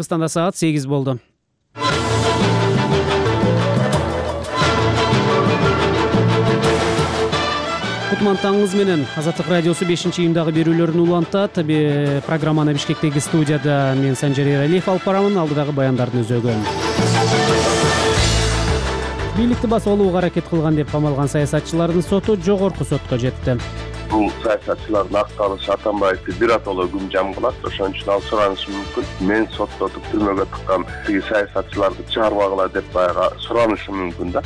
Кыргызстанда саат 8 болду. Кутман таңыңыз менен. Азаттык радиосу 5-июндагы берүүлөрүн улантат. Программаны Бишкектеги студияда мен Санжар Эралиев алып барамын. Алдыдагы баяндардын өзөгү. Бийликти басып алууга аракет кылган деп камалган саясатчылардын соту жогорку сотко жетти. Бул саясатчылардын акталышы Атамбаевди биротоло күн жам кылат. Ошон үчүн ал суранышы мүмкүн. Мен соттотуп түрмөгө тыккан тиги саясатчыларды чыгарбагыла деп баягы суранышы мүмкүн да.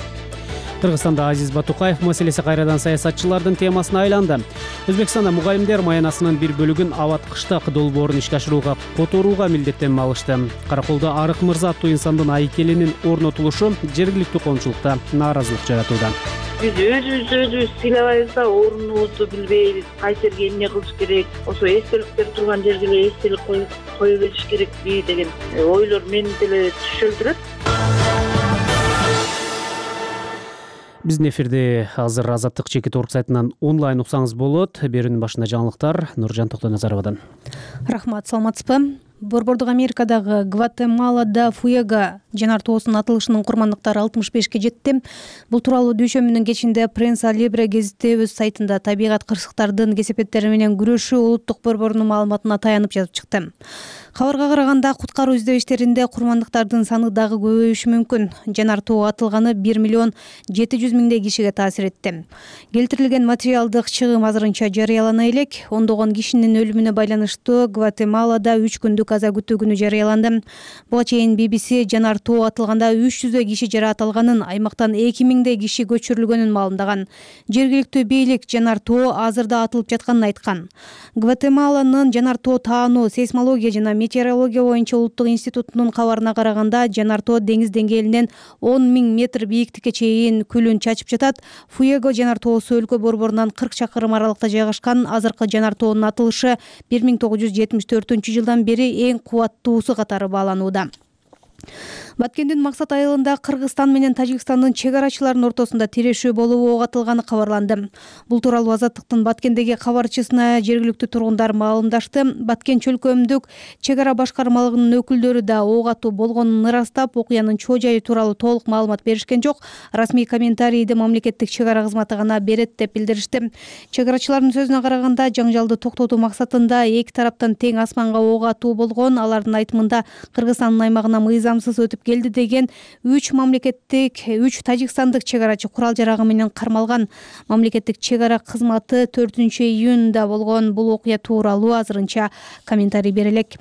Кыргызстанда Азиз Батукаев маселеси кайрадан саясатчылардын темасына айланды. Өзбекстанда мугалимдер маянасынын бир бөлүгүн Абат-Кыштак долбоорун ишке ашырууга которууга милдеттенме алышты. Караколдо Арык Мырза аттуу инсандын айкелинин орнотулушу жергиликтүү коомчулукта нааразылык жаратууда. Биз өзүбүз сыйлабайбыз да, орунубузду билбейбиз, кайсы жерге эмне кылыш керек, ошо эстеликтер турган жерге эле эстелик кое бериш керекпи деген ойлор мени деле түшөлдүрөт. Биздин эфирди азыр Азаттык Чекит орг сайтынан онлайн уксаңыз болот. Берүүнүн башында жаңылыктар Нуржан Токтоназаровадан. Рахмат, саламатсызбы? Борбордук Америкадагы Гватемалада Фуэго жанар тоосунун атылышынын курмандыктары 65-ке жетти. Бул тууралуу дүйшөмбүнүн кечинде Пресса Либре гезити өз сайтында табигат кырсыктардын кесепеттери менен күрөшүү улуттук борборунун маалыматына таянып жазып чыкты. Кабарга караганда куткаруу издөө иштеринде курмандыктардын саны дагы көбөйүшү мүмкүн. Жанар тоо атылганы 1,7 миллион кишиге таасир этти. Келтирилген материалдык чыгым азырынча жарыялана элек. Ондогон кишинин өлүмүнө байланыштуу Гватемалада 3 күндүк аза күтүү күнү жарыяланды. Буга чейин BBC жанар тоо атылганда 300 киши жараат алганын, аймактан 2000 киши көчүрүлгөнүн маалымдаган. Жергиликтүү бийлик жанар тоо азырда атылып жатканын айткан. Гватемаланын жанар тоо таануу, сейсмология жана метеорология боюнча улуттук институтунун кабарына караганда, жанар тоо деңиз деңгээлинен 10,000 метр бийиктикке чейин күлүн чачып жатат. Фуэго жанар тоосу өлкө борборунан 40 чакырым аралыкта жайгашкан. Азыркы жанар тоонун атылышы 1974-жылдан бери эң кубаттуусу катары бааланууда. Баткендин Максат айылында Кыргызстан менен Тажикстандын чек арачыларынын ортосунда тирешүү болуп ок атылганы кабарланды. Бул тууралуу Азаттыктын Баткендеги кабарчысына жергиликтүү тургундар маалымдашты. Баткен чөлкөмдүк чек ара башкармалыгынын өкүлдөрү да ок атуу болгонун ырастап, окуянын чоо жайы тууралуу толук маалымат беришкен жок. Расмий комментарийди мамлекеттик чек ара кызматы гана берет деп билдиришти. Чек арачылардын сөзүнө караганда, жаңжалды токтотуу максатында эки тараптан тең асманга ок атуу болгон. Алардын айтымында Кыргызстандын аймагына мыйзамсыз өтүп келди деген 3 тажикстандык чек арачы курал жарагы менен кармалган. Мамлекеттик чек ара кызматы 4-июнда болгон бул окуя тууралуу азырынча комментарий бере элек.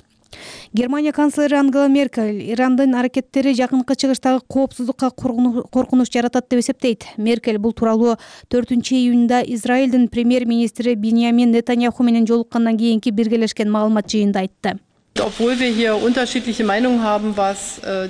Германия канцлери Ангела Меркель Ирандын аракеттери жакынкы чыгыштагы коопсуздукка коркунуч жаратат деп эсептейт. Меркель бул тууралуу 4-июнда Израилдин премьер-министри Биньямин Нетаньяху менен жолуккандан кийинки биргелешкен маалымат жыйынында айтты.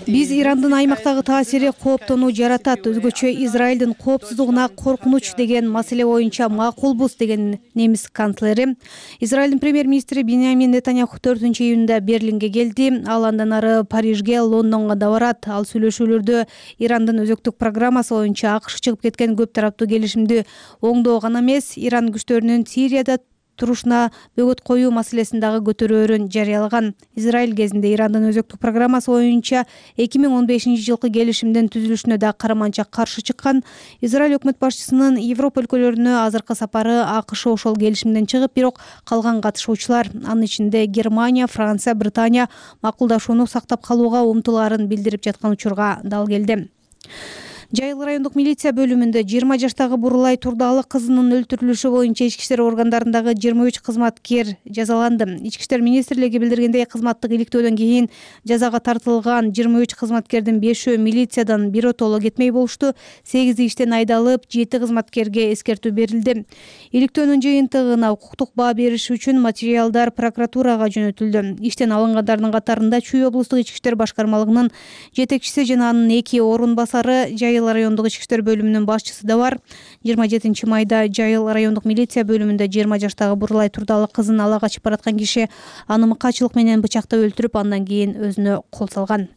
Биз Ирандын аймактагы таасири кооптонуу жаратат, өзгөчө Израилдин коопсуздугуна коркунуч деген маселе боюнча макулбуз деген немис канцлери. Израилдин премьер-министри Биньямин Нетаньяху 4-июнда Берлинге келди. Ал андан ары Парижге, Лондонго да барат. Ал сүйлөшүүлөрдө Ирандын өзөктүк программасы боюнча АКШ чыгып кеткен көп тараптуу келишимди оңдоо гана эмес, Иран күчтөрүнүн Сирияда турушуна бөгөт коюу маселесин дагы көтөрөөрүн жарыялаган. Израиль кезинде Ирандын өзөктүк программасы боюнча 2015-жылкы келишимдин түзүлүшүнө да караманча каршы чыккан. Израиль өкмөт башчысынын Европа өлкөлөрүнө азыркы сапары АКШ ошол келишимден чыгып, бирок калган катышуучулар, анын ичинде Германия, Франция, Британия макулдашууну сактап калууга умтулаарын билдирип жаткан учурга дал келди. Жайыл райондук милиция бөлүмүндө 20 жаштагы Бурулай Турдалы кызынын өлтүрүлүшү боюнча ички иштер органдарындагы 23 кызматкер жазаланды. Ички иштер министрлиги билдиргендей, кызматтык иликтөөдөн кийин жазага тартылган 23 кызматкердин 5-өө милициядан биротоло кетмей болушту. 8 иштен айдалып, 7 кызматкерге эскертүү берилди. Иликтөөнүн жыйынтыгына укуктук баа бериш үчүн материалдар прокуратурага жөнөтүлдү. Иштен алынгандардын катарында Чүй облустук ички иштер башкармалыгынын жетекчиси жана анын 2 орун басары, Жайыл райондук ички иштер бөлүмүнүн башчысы да бар. 27 майда Жайыл райондук милиция бөлүмүндө 20 жаштагы Бурулай Турдалы кызын ала качып бараткан киши аны мыкаачылык менен бычактап өлтүрүп, андан кийин өзүнө кол салган.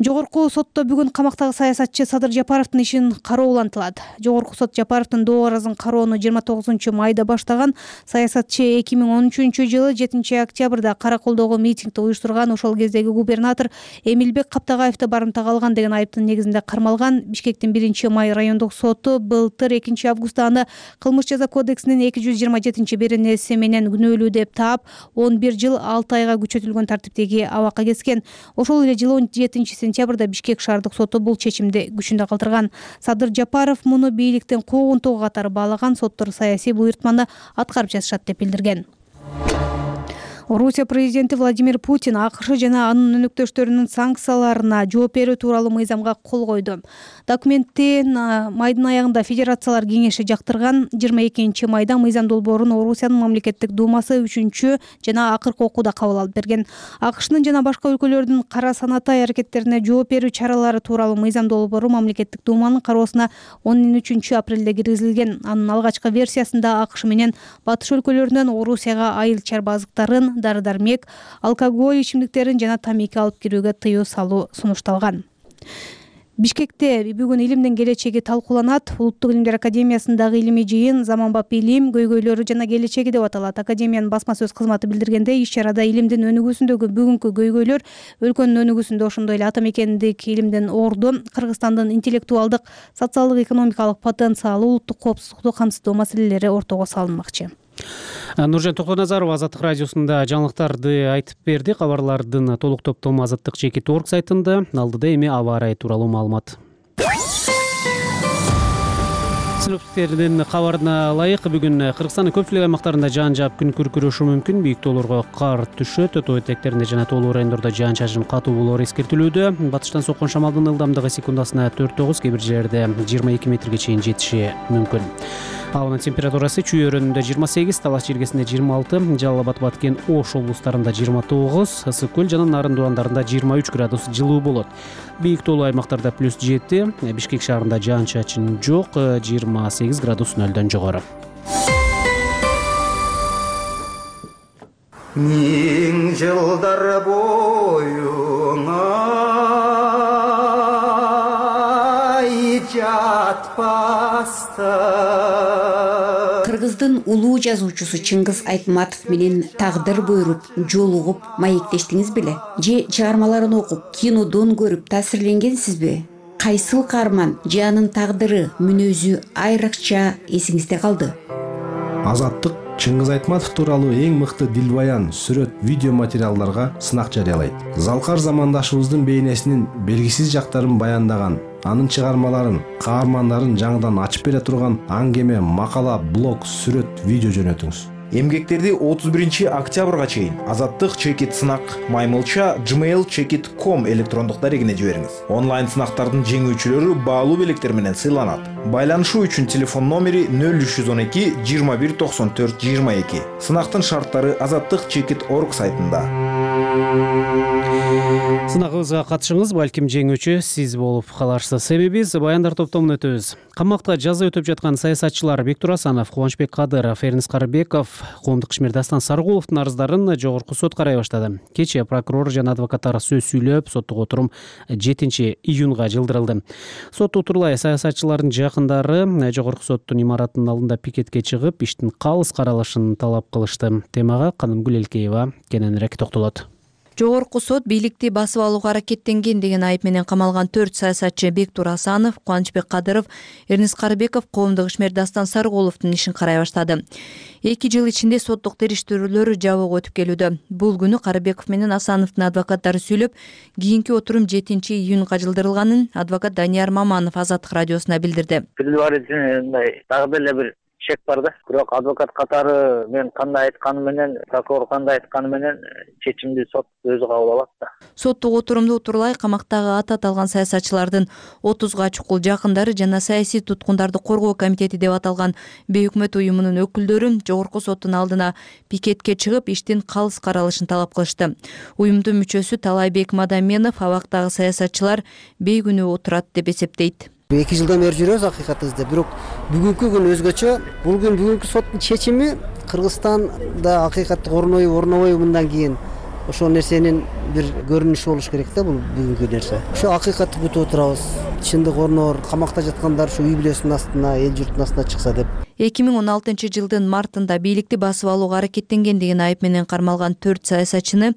Жогорку сотто бүгүн камактагы саясатчы Садыр Жапаровдун ишин кароо улантылат. Жогорку сот Жапаровдун доо арызын кароону 29 майда баштаган. Саясатчы 2013-жылы 7 октябрда Караколдогу митингди уюштурган. Ошол кездеги губернатор Эмилбек Каптагаевди барымтага алган деген айыптын негизинде кармалган. Бишкектин 1-май райондук соту былтыр 2-августта аны кылмыш жаза кодексинин 227-беренеси менен күнөөлүү деп таап, 11 жыл 6 айга күчөтүлгөн тартиптеги абакка кескен. Ошол эле жылы 17-сентябрда Бишкек шаардык соту бул чечимди күчүндө калтырган. Садыр Жапаров муну бийликтин куугунтугу катары баалаган. Соттор саясий буйртманы аткарып жатышат деп билдирген. Орусия президенти Владимир Путин АКШ жана анын өнөктөштөрүнүн санкцияларына жооп берүү тууралуу мыйзамга кол койду. Документти майдын аягында Федерациялар кеңеши жактырган. 22 майда мыйзам долбоорун Орусиянын мамлекеттик думасы 3 жана акыркы окууда кабыл алып берген. АКШнын жана башка өлкөлөрдүн кара санатай аракеттерине жооп берүү чаралары тууралуу мыйзам долбоору мамлекеттик думанын кароосуна 13 апрелде киргизилген. Анын алгачкы версиясында АКШ менен батыш өлкөлөрүнөн Орусияга айыл чарба азыктарын, дары-дармек, алкоголь ичимдиктерин жана тамеки алып кирүүгө тыюу салуу сунушталган. Бишкекте бүгүн илимдин келечеги талкууланат. Улуттук илимдер академиясындагы илимий жыйын "Заманбап илим, көйгөйлөрү жана келечеги" деп аталат. Академиянын басма сөз кызматы билдиргендей, иш-чарада илимдин өнүгүүсүндөгү бүгүнкү көйгөйлөр, өлкөнүн өнүгүүсүндө ошондой эле ата мекендик илимдин орду, Кыргызстандын интеллектуалдык, социалдык, экономикалык потенциалы, улуттук коопсуздукту камсыздоо маселелери ортого салынмакчы. Нуржан Токоназарова Азаттык радиосунда жаңылыктарды айтып берди. Кабарлардын толук топтому azattik.org сайтында. Алдыда эми аба ырайы тууралуу маалымат. Синоптиктердин кабарына ылайык, бүгүн Кыргызстандын көпчүлүк аймактарында жаан жаап күн күркүрөшү мүмкүн. Бийик тоолорго кар түшөт, тоо этектеринде жана тоолуу райондордо жаан-чачын катуу болоору эскертилүүдө. Батыштан соккон шамалдын ылдамдыгы секундасына 4-9, кээ бир жерлерде 22 метрге чейин жетиши мүмкүн. Абанын температурасы Чүй өрөөнүндө 28, Талас жергесинде 26, Жалал Абад, Баткен, Ош облустарында 29, Ысык көл жана Нарын дубандарында 23 градус жылуу болот. Бийик тоолуу аймактарда +7, Бишкек шаарында жаан-чачын жок, 28 градус нөлдөн жогору. Миң жылдар боюңа Кыргыздын улуу жазуучусу Чыңгыз Айтматов менен тагдыр буйруп, жолугуп, маектештиңиз беле? Же чыгармаларын окуп, кинодон көрүп таасирленгенсизби? Кайсыл каарман же анын тагдыры, мүнөзү айрыкча эсиңизде калды? Азаттык Чыңгыз Айтматов тууралуу эң мыкты дилбаян, сүрөт, видео материалдарга сынак жарыялайт. Залкар замандашыбыздын бейнесинин белгисиз жактарын баяндаган, анын чыгармаларын, каармандарын жаңыдан ачып бере турган аңгеме, макала, блог, сүрөт, видео жөнөтүңүз. Эмгектерди 31 октябрга чейин Азаттык чекит сынак маймылча gmail.com электрондук дарегине жибериңиз. Онлайн сынактардын жеңүүчүлөрү баалуу белектер менен сыйланат. Байланышуу үчүн телефон номери 0312 21 94 22. Сынактын шарттары azattik.org сайтында. Сынагыбызга катышыңыз, балким жеңүүчү сиз болуп каларсыз. Себеби биз баяндар топтомун өтөбүз. Камакта жаза өтөп жаткан саясатчылар Бектур Асанов, Кубанычбек Кадыров, Эрнис Карыбеков, Коомдук ишмер Дастан Саргуловдун арыздарын жогорку сот карай баштады. Кечээ прокурор жана адвокаттар сөз сүйлөп, соттук отурум 7 июнга жылдырылды. Сот отурлай саясатчылардын жакындары жогорку соттун имаратынын алдында пикетке чыгып, иштин калыс каралышын талап кылышты. Темага Канымгүл Элкеева кененирээк токтолот. Жогорку сот бийликти басып алууга аракеттенген деген айып менен камалган 4 саясатчы Бектур Асанов, Кубанычбек Кадыров, Эрнис Карыбеков, Коомдук ишмер Дастан Саргуловдун ишин карай баштады. 2 жыл ичинде соттук териштирүүлөр жабык өтүп келүүдө. Бул күнү Карыбеков менен Асановдун адвокаттары сүйлөп, кийинки отурум 7 июнга жылдырылганын адвокат Данияр Маманов Азаттык радиосуна билдирди. Дагы эле бир чек бар да. Бирок адвокат катары мен кандай айтканы менен, прокурор кандай айтканы менен чечимди сот өзү кабыл алат да. Соттук отурумду утурлай камактагы аты аталган саясатчылардын 30га чукул жакындары жана саясий туткундарды коргоо комитети деп аталган бейөкмөт уюмунун өкүлдөрү жогорку соттун алдына пикетке чыгып, иштин калыс каралышын талап кылышты. Уюмдун мүчөсү Талайбек Мадаменов абактагы саясатчылар бейгүнөө отурат деп эсептейт. 2 жылдан бери жүрөбүз акыйкатыбызда, бирок бүгүнкү күн өзгөчө. Бул күн бүгүнкү соттун чечими Кыргызстанда акыйкатты орнобойбу мындан кийин ошол нерсенин бир көрүнүшү болуш керек да, бул бүгүнкү нерсе. Ошо акыйкатты күтүп отурабыз. Чындык орноор, камакта жаткандар ушу үй бүлөсүнүн астына, эл журттун астына чыкса деп. 2016-жылдын мартында бийликти басып алууга аракеттенген деген айып менен кармалган 4 саясатчыны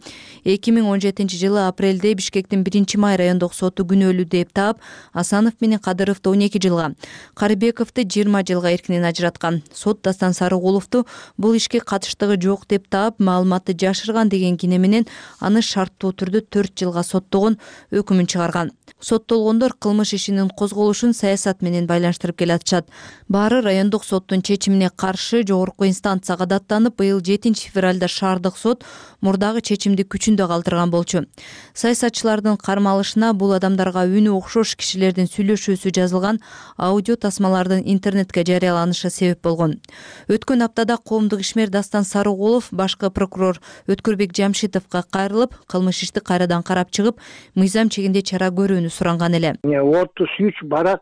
2017-жылы апрелде Бишкектин 1-май райондук соту күнөөлүү деп таап, Асанов менен Кадыровду 12 жылга, Карыбековду 20 жылга эркинен ажыраткан. Сот Дастан Сарыгуловду бул ишке катыштыгы жок деп таап, маалыматты жашырган деген кине менен аны шарттуу түрдө 4 жылга соттогон өкүмүн чыгарган. Соттолгондор кылмыш ишинин козголушун саясат менен байланыштырып келатышат. Баары райондук соттун чечимине каршы жогорку инстанцияга даттанып, быйыл 7 февралда шаардык сот мурдагы чечимди күчүндө калтырган болчу. Саясатчылардын кармалышына бул адамдарга үнү окшош кишилердин сүйлөшүүсү жазылган аудио тасмалардын интернетке жарыяланышы себеп болгон. Өткөн аптада коомдук ишмер Дастан Сарыгулов башкы прокурор Өткүрбек Жамшитовго кайрылып, кылмыш ишти кайрадан карап чыгып, мыйзам чегинде чара көрүүнү суранган эле. 33 барак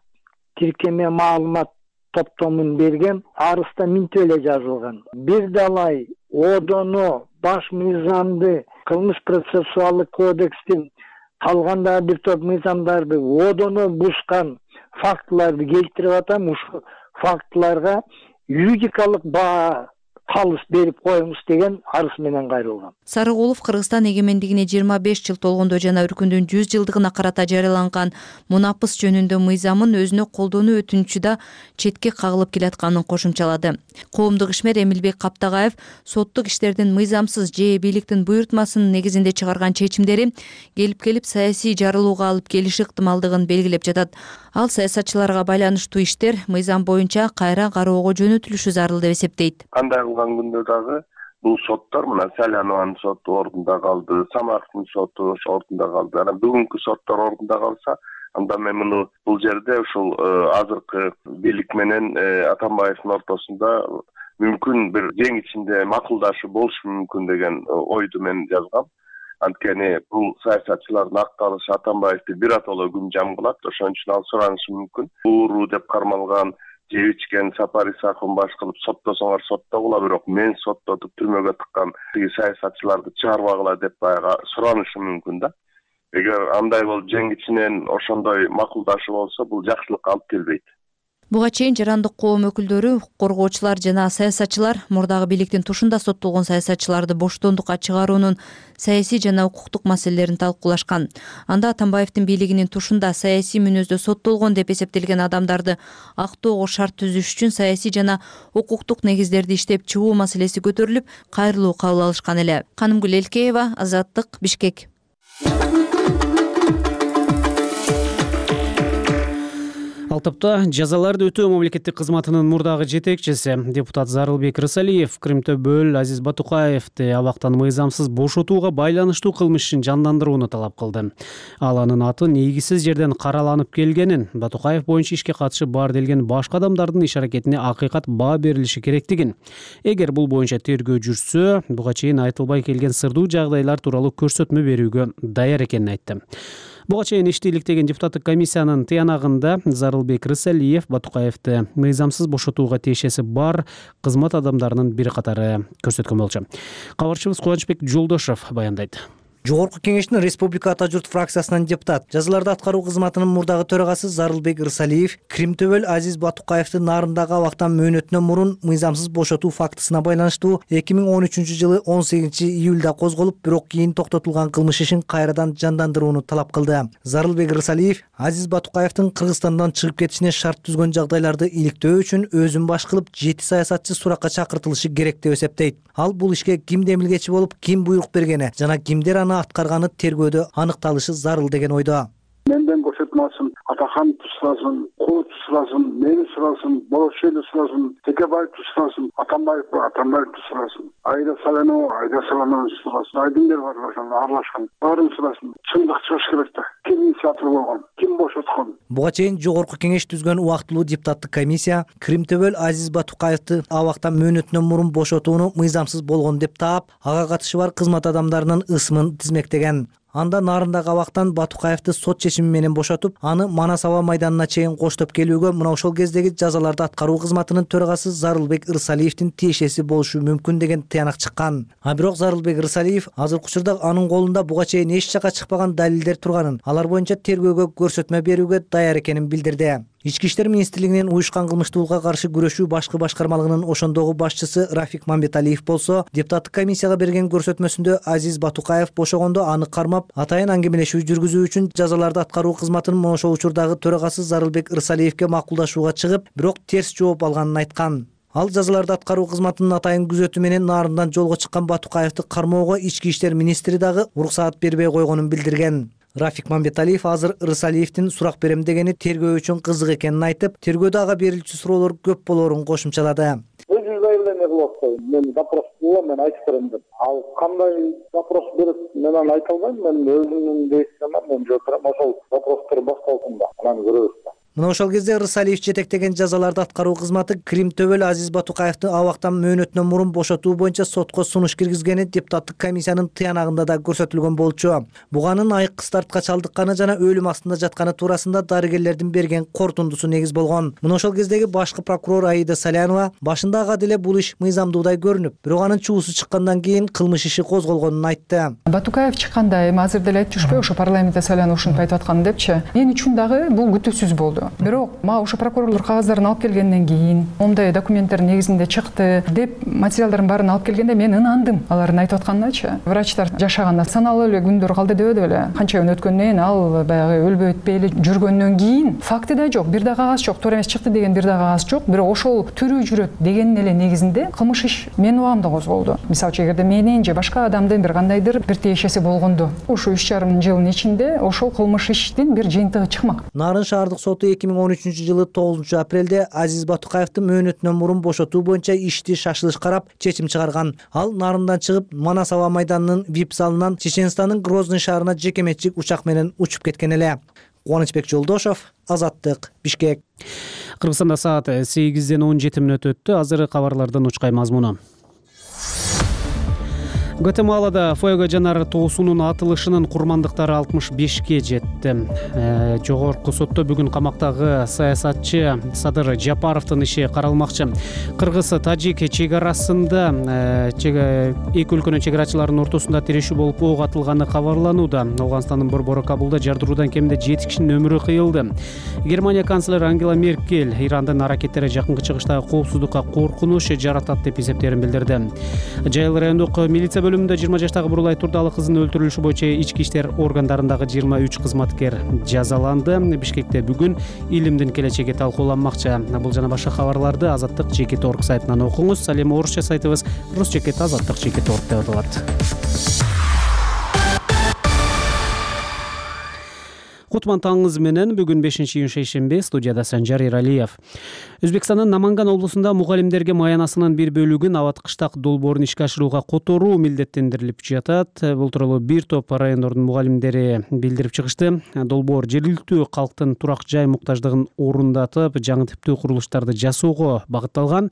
тиркеме маалымат топтомун берген, арызда минтип эле жазылган. Бир далай одоно баш мыйзамды, кылмыш процессуалдык кодекстин калган бир топ мыйзамдарды одоно бузган фактыларды келтирип атам. Ушул фактыларга юридикалык баа калыс берип коюңуз деген арыз менен кайрылган. Сарыгулов Кыргызстан эгемендигине 25 жыл толгондо жана өлкөдүн 100 жылдыгына карата жарыяланган мунапыс жөнүндө мыйзамын өзүнө колдонуу өтүнүчү да четке кагылып келатканын кошумчалады. Коомдук ишмер Эмилбек Каптагаев соттук иштердин мыйзамсыз же бийликтин буйртмасынын негизинде чыгарган чечимдери келип саясий жарылууга алып келиши ыктымалдыгын белгилеп жатат. Ал саясатчыларга байланыштуу иштер мыйзам боюнча кайра кароого жөнөтүлүшү зарыл деп эсептейт. Кандай кылган күндө дагы бул соттор мына Салянованын соту ордунда калды, Самарктын соту ошо ордунда калды. Анан бүгүнкү соттор ордунда калса, анда мен муну бул жерде ушул азыркы бийлик менен Атамбаевдин ортосунда мүмкүн бир жең ичинде макулдашуу болушу мүмкүн деген ойду мен жазгам. Анткени бул саясатчылардын акталышы Атамбаевди биротоло күн кылат, ошон үчүн ал суранышы мүмкүн. Ууруу деп кармалган, жеп ичкен Сапар Исаковун баш кылып соттосоңор соттогула, бирок мен соттотуп түрмөгө тыккан тиги саясатчыларды чыгарбагыла деп баягы суранышы мүмкүн да. Эгер андай болуп жең ичинен ошондой макулдашуу болсо, бул жакшылыкка алып келбейт. Буга чейин жарандык коом өкүлдөрү, коргоочулар жана саясатчылар мурдагы бийликтин тушунда соттолгон саясатчыларды боштондукка чыгаруунун саясий жана укуктук маселелерин талкуулашкан. Анда Атамбаевдин бийлигинин тушунда саясий мүнөздө соттолгон деп эсептелген адамдарды актоого шарт түзүш үчүн саясий жана укуктук негиздерди иштеп чыгуу маселеси көтөрүлүп, кайрылуу кабыл алышкан эле. Канымгүл Элкеева, Азаттык, Бишкек. Ал топто жазаларды өтөө мамлекеттик кызматынын мурдагы жетекчиси депутат Зарылбек Рысалиев Кримтөбөл Азиз Батукаевди абактан мыйзамсыз бошотууга байланыштуу кылмыш ишин жандандырууну талап кылды. Ал анын аты негизсиз жерден караланып келгенин, Батукаев боюнча ишке катышы бар делген башка адамдардын иш аракетине акыйкат баа берилиши керектигин, эгер бул боюнча тергөө жүрсө, буга чейин айтылбай келген сырдуу жагдайлар тууралуу көрсөтмө берүүгө даяр экенин айтты. Буга чейин ишти иликтеген депутаттык комиссиянын тыянагында Зарылбек Рысалиев Батукаевди мыйзамсыз бошотууга тиешеси бар кызмат адамдарынын бир катары көрсөткөн болчу. Кабарчыбыз Кубанычбек Жолдошов баяндайт. Жогорку кеңештин Республика Ата журт фракциясынан депутат, жазаларды аткаруу кызматынын мурдагы төрагасы Зарылбек Рысалиев Кримтөбөл Азиз Батукаевди нарындагы абактан мөөнөтүнөн мурун мыйзамсыз бошотуу фактысына байланыштуу 2013-жылы 18-июлда козголуп, бирок кийин токтотулган кылмыш ишин кайрадан жандандырууну талап кылды. Зарылбек Рысалиев Азиз Батукаевдин Кыргызстандан чыгып кетишине шарт түзгөн жагдайларды иликтөө үчүн өзүн баш кылып 7 саясатчы суракка чакыртылышы керек деп эсептейт. Ал бул ишке ким демилгечи болуп, ким буйрук бергени жана кимдер аны аткарганы тергөөдө аныкталышы зарыл деген ойдо. Менден бошотмасын, Атахан сурасын, Кулут сурасын, мени сурасын, Болошели сурасын, Текебаевди сурасын, Атамбаевди сурасын, Айда Салянова сурасын, айдыңдар бар ошондо аралашкан, баарын сурасын. Чындык чыгыш керек да. Ким инициатор болгон, ким бошоткон? Буга чейин жогорку кеңеш түзгөн убактылуу депутаттык комиссия Кримтөбөл Азиз Батукаевди абактан мөөнөтүнөн мурун бошотууну мыйзамсыз болгон деп таап, ага катышы бар кызмат адамдарынын ысымын тизмектеген. Анда нарындагы абактан Батукаевди сот чечими менен бошотуп, аны Манас аба майданына чейин коштоп келүүгө мына ошол кездеги жазаларды аткаруу кызматынын төрагасы Зарылбек Ырсалиевдин тиешеси болушу мүмкүн деген тыянак чыккан. А бирок Зарылбек Ырсалиев азыркы учурда анын колунда буга чейин эч жака чыкпаган далилдер турганын, алар боюнча тергөөгө көрсөтмө берүүгө даяр экенин билдирди. Ички иштер министрлигинин уюшкан кылмыштуулукка каршы күрөшүү башкы башкармалыгынын ошондогу башчысы Рафик Мамбеталиев болсо, депутаттык комиссияга берген көрсөтмөсүндө Азиз Батукаев бошогондо аны кармап, атайын аңгемелешүү жүргүзүү үчүн жазаларды аткаруу кызматынын мына ошол учурдагы төрагасы Зарылбек Ырсалиевке макулдашууга чыгып, бирок терс жооп алганын айткан. Ал жазаларды аткаруу кызматынын атайын күзөтү менен нарындан жолго чыккан Батукаевди кармоого ички иштер министри дагы уруксаат бербей койгонун билдирген. Рафик Мамбеталиев азыр Ырсалиевдин сурак берем дегени тергөө үчүн кызык экенин айтып, тергөөдө ага берилчү суроолор көп болоорун кошумчалады. Өзү заявление кылып атпайбы, мен запрос кылам, мен айтып берем деп. Ал кандай запрос берип, мен аны айта албайм, мен өзүмдүн действиям, мен жооп берем, ошол вопростор башталсын да, анан көрөбүз да. Мына ошол кезде Ырсалиев жетектеген жазаларды аткаруу кызматы Кримтөбөл Азиз Батукаевди абактан мөөнөтүнөн мурун бошотуу боюнча сотко сунуш киргизгени депутаттык комиссиянын тыянагында да көрсөтүлгөн болчу. Буганын айык кыстартка чалдыкканы жана өлүм астында жатканы туурасында дарыгерлердин берген корутундусу негиз болгон. Мына ошол кездеги башкы прокурор Аида Салянова башында ага деле бул иш мыйзамдуудай көрүнүп, бирок анын чуусу чыккандан кийин кылмыш иши козголгонун айтты. Батукаев чыкканда, эми азыр деле айтып жүрүшпөйбү, ошо парламентте Салянова ушинтип айтып аткан депчи. Мен үчүн дагы бул күтүүсүз болду. Бирок мага ошо прокурорлор кагаздарын алып келгенден кийин, моундай документтер негизинде чыкты деп материалдардын баарын алып келгенде мен ынандым алардын айтып атканыначы. Врачтар жашаганда саналуу эле күндөр калды деп эле. Канча күн өткөндөн кийин ал баягы өлбөй өтпөй эле жүргөндөн кийин факты да жок, бир да кагаз жок, туура эмес чыкты деген бир да кагаз жок. Бирок ошол тирүү жүрөт дегенин эле негизинде кылмыш иш менин убагымда козголду. Мисалы үчүн эгерде менин же башка адамдын бир кандайдыр бир тиешеси болгондо, ошо 3,5 жылдын ичинде ошол кылмыш иштин бир жыйынтыгы чыкмак. Нарын шаардык соту 2013-жылы 9 апрелде Азиз Батукаевди мөөнөтүнөн мурун бошотуу боюнча ишти шашылыш карап чечим чыгарган. Ал нарындан чыгып Манас аба майданынын вип залынан Чеченстандын Грозный шаарына жекеменчик учак менен учуп кеткен эле. Кубанычбек Жолдошов, Азаттык, Бишкек. Кыргызстанда саат 8:17 өттү. Азыр кабарлардын учкай мазмуну. Гватемалада фуэго жанар тоосунун атылышынын курмандыктары 65ке жетти. Жогорку сотто бүгүн камактагы саясатчы Садыр Жапаровдун иши каралмакчы. Кыргыз-тажик чек-арасында эки өлкөнүн чек-арачыларынын ортосунда тирешүү болуп ок атылганы кабарланууда. Ауганстандын борбору Кабулда жардыруудан кеминде 7 кишинин өмүрү кыйылды. Германия канцлери Ангела Меркель Ирандын аракеттери жакынкы чыгыштагы коопсуздукка коркунуч жаратат деп эсептерин билдирди. Жайыл райондук милиция бөлүмүндө 20 жаштагы Бурулай Турдалы кызынын өлтүрүлүшү боюнча ички иштер органдарындагы 23 кызматкер жазаланды. Бишкекте бүгүн илимдин келечеги талкууланмакчы. Бул жана башка кабарларды Азаттык Чекит.org сайтынан окуңуз. Ал эми орусча сайтыбыз Русчекит Азаттык Чекит.org деп аталат. Кутман таңыңыз менен бүгүн 5-июнь шейшемби, студияда Санжар Иралиев. Өзбекстандын Наманган облусунда мугалимдерге маянасынын бир бөлүгүн абат-кыштак долбоорун ишке ашырууга которуу милдеттендирилип жатат. Бул тууралуу бир топ райондордун мугалимдери билдирип чыгышты. Долбоор жергиликтүү калктын турак жай муктаждыгын орундатып, жаңы типтүү курулуштарды жасоого багытталган.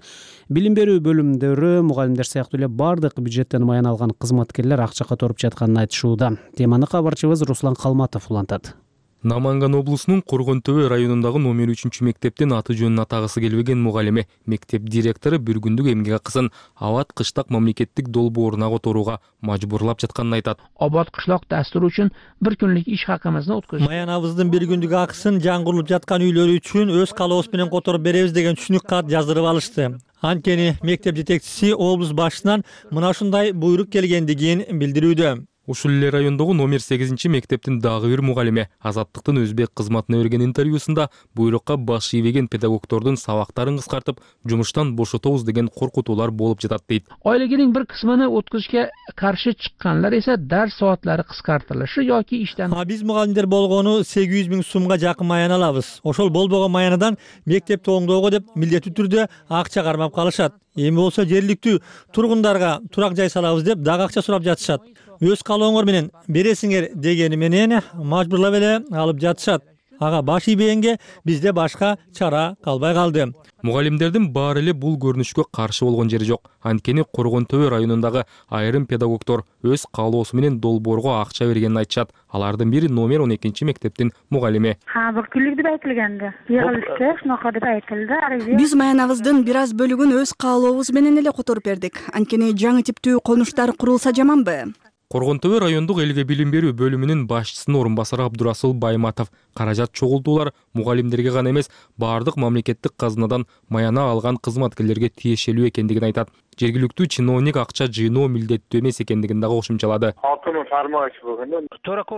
Билим берүү бөлүмдөрү мугалимдер сыяктуу эле бардык бюджеттен маян алган кызматкерлер акча которуп жатканын айтышууда. Теманы кабарчыбыз Руслан Калматов улантат. Наманган облусунун Коргонтөбө районундагы номер 3 мектептин аты жөнүн атагысы келбеген мугалими, мектеп директору бир күндүк эмгек акысын абат кыштак мамлекеттик долбооруна которууга мажбурлап жатканын айтат. Абат кыштак дастуру үчүн бир күнлүк иш хакымызды өткөзүп, маянабыздын бир күндүк акысын жаңгырылып жаткан үйлөрү үчүн өз калообуз менен которуп беребиз деген түшүнүк кат жаздырып алышты. Анткени мектеп жетекчиси облус башчысынан мына ушундай буйрук келгендигин билдирүүдө. Ушул эле райондогу номер 8 мектептин дагы бир мугалими Азаттыктын өзбек кызматына берген интервьюсунда буйрукка баш ийбеген педагогдордун сабактарын кыскартып, жумуштан бошотобуз деген коркутуулар болуп жатат дейт. Айлыгынын бир кысмын өткөзүшкө каршы чыкканлар эсе дарс сааттары кыскартылышы yoki иштен. Биз мугалимдер болгону 800 000 сумга жакын маян алабыз. Ошол болбогон маянадан мектепти оңдоого деп милдеттүү түрдө акча кармап калышат. Эми болсо жергиликтүү тургундарга турак жай салабыз деп дагы акча сурап жатышат. Өз калооңор менен бересиңер дегени менен мажбурлап эле алып жатышат. Ага баш ийбегенге бизде башка чара калбай калды. Мугалимдердин баары эле бул көрүнүшкө каршы болгон жери жок. Анткени Коргон Төбө районундагы айрым педагогдор өз каалоосу менен долбоорго акча бергенин айтышат. Алардын бири номер 12 мектептин мугалими. Бактылык деп айтылганды. Йыгылышта шунака деп айтылды. Биз маянабыздын бир аз бөлүгүн өз каалообуз менен эле которуп бердик. Анткени жаңы типтүү конуштар курулса жаманбы? Коргон Төбө райондук элге билим берүү бөлүмүнүн башчысынын орун басары Абдурасул Байматов каражат чогултуулар мугалимдерге гана эмес, баардык мамлекеттик казынадан маяна алган кызматкерлерге тиешелүү экендигин айтат. Жергиликтүү чиновник акча жыйноо милдеттүү эмес экендигин дагы кошумчалады.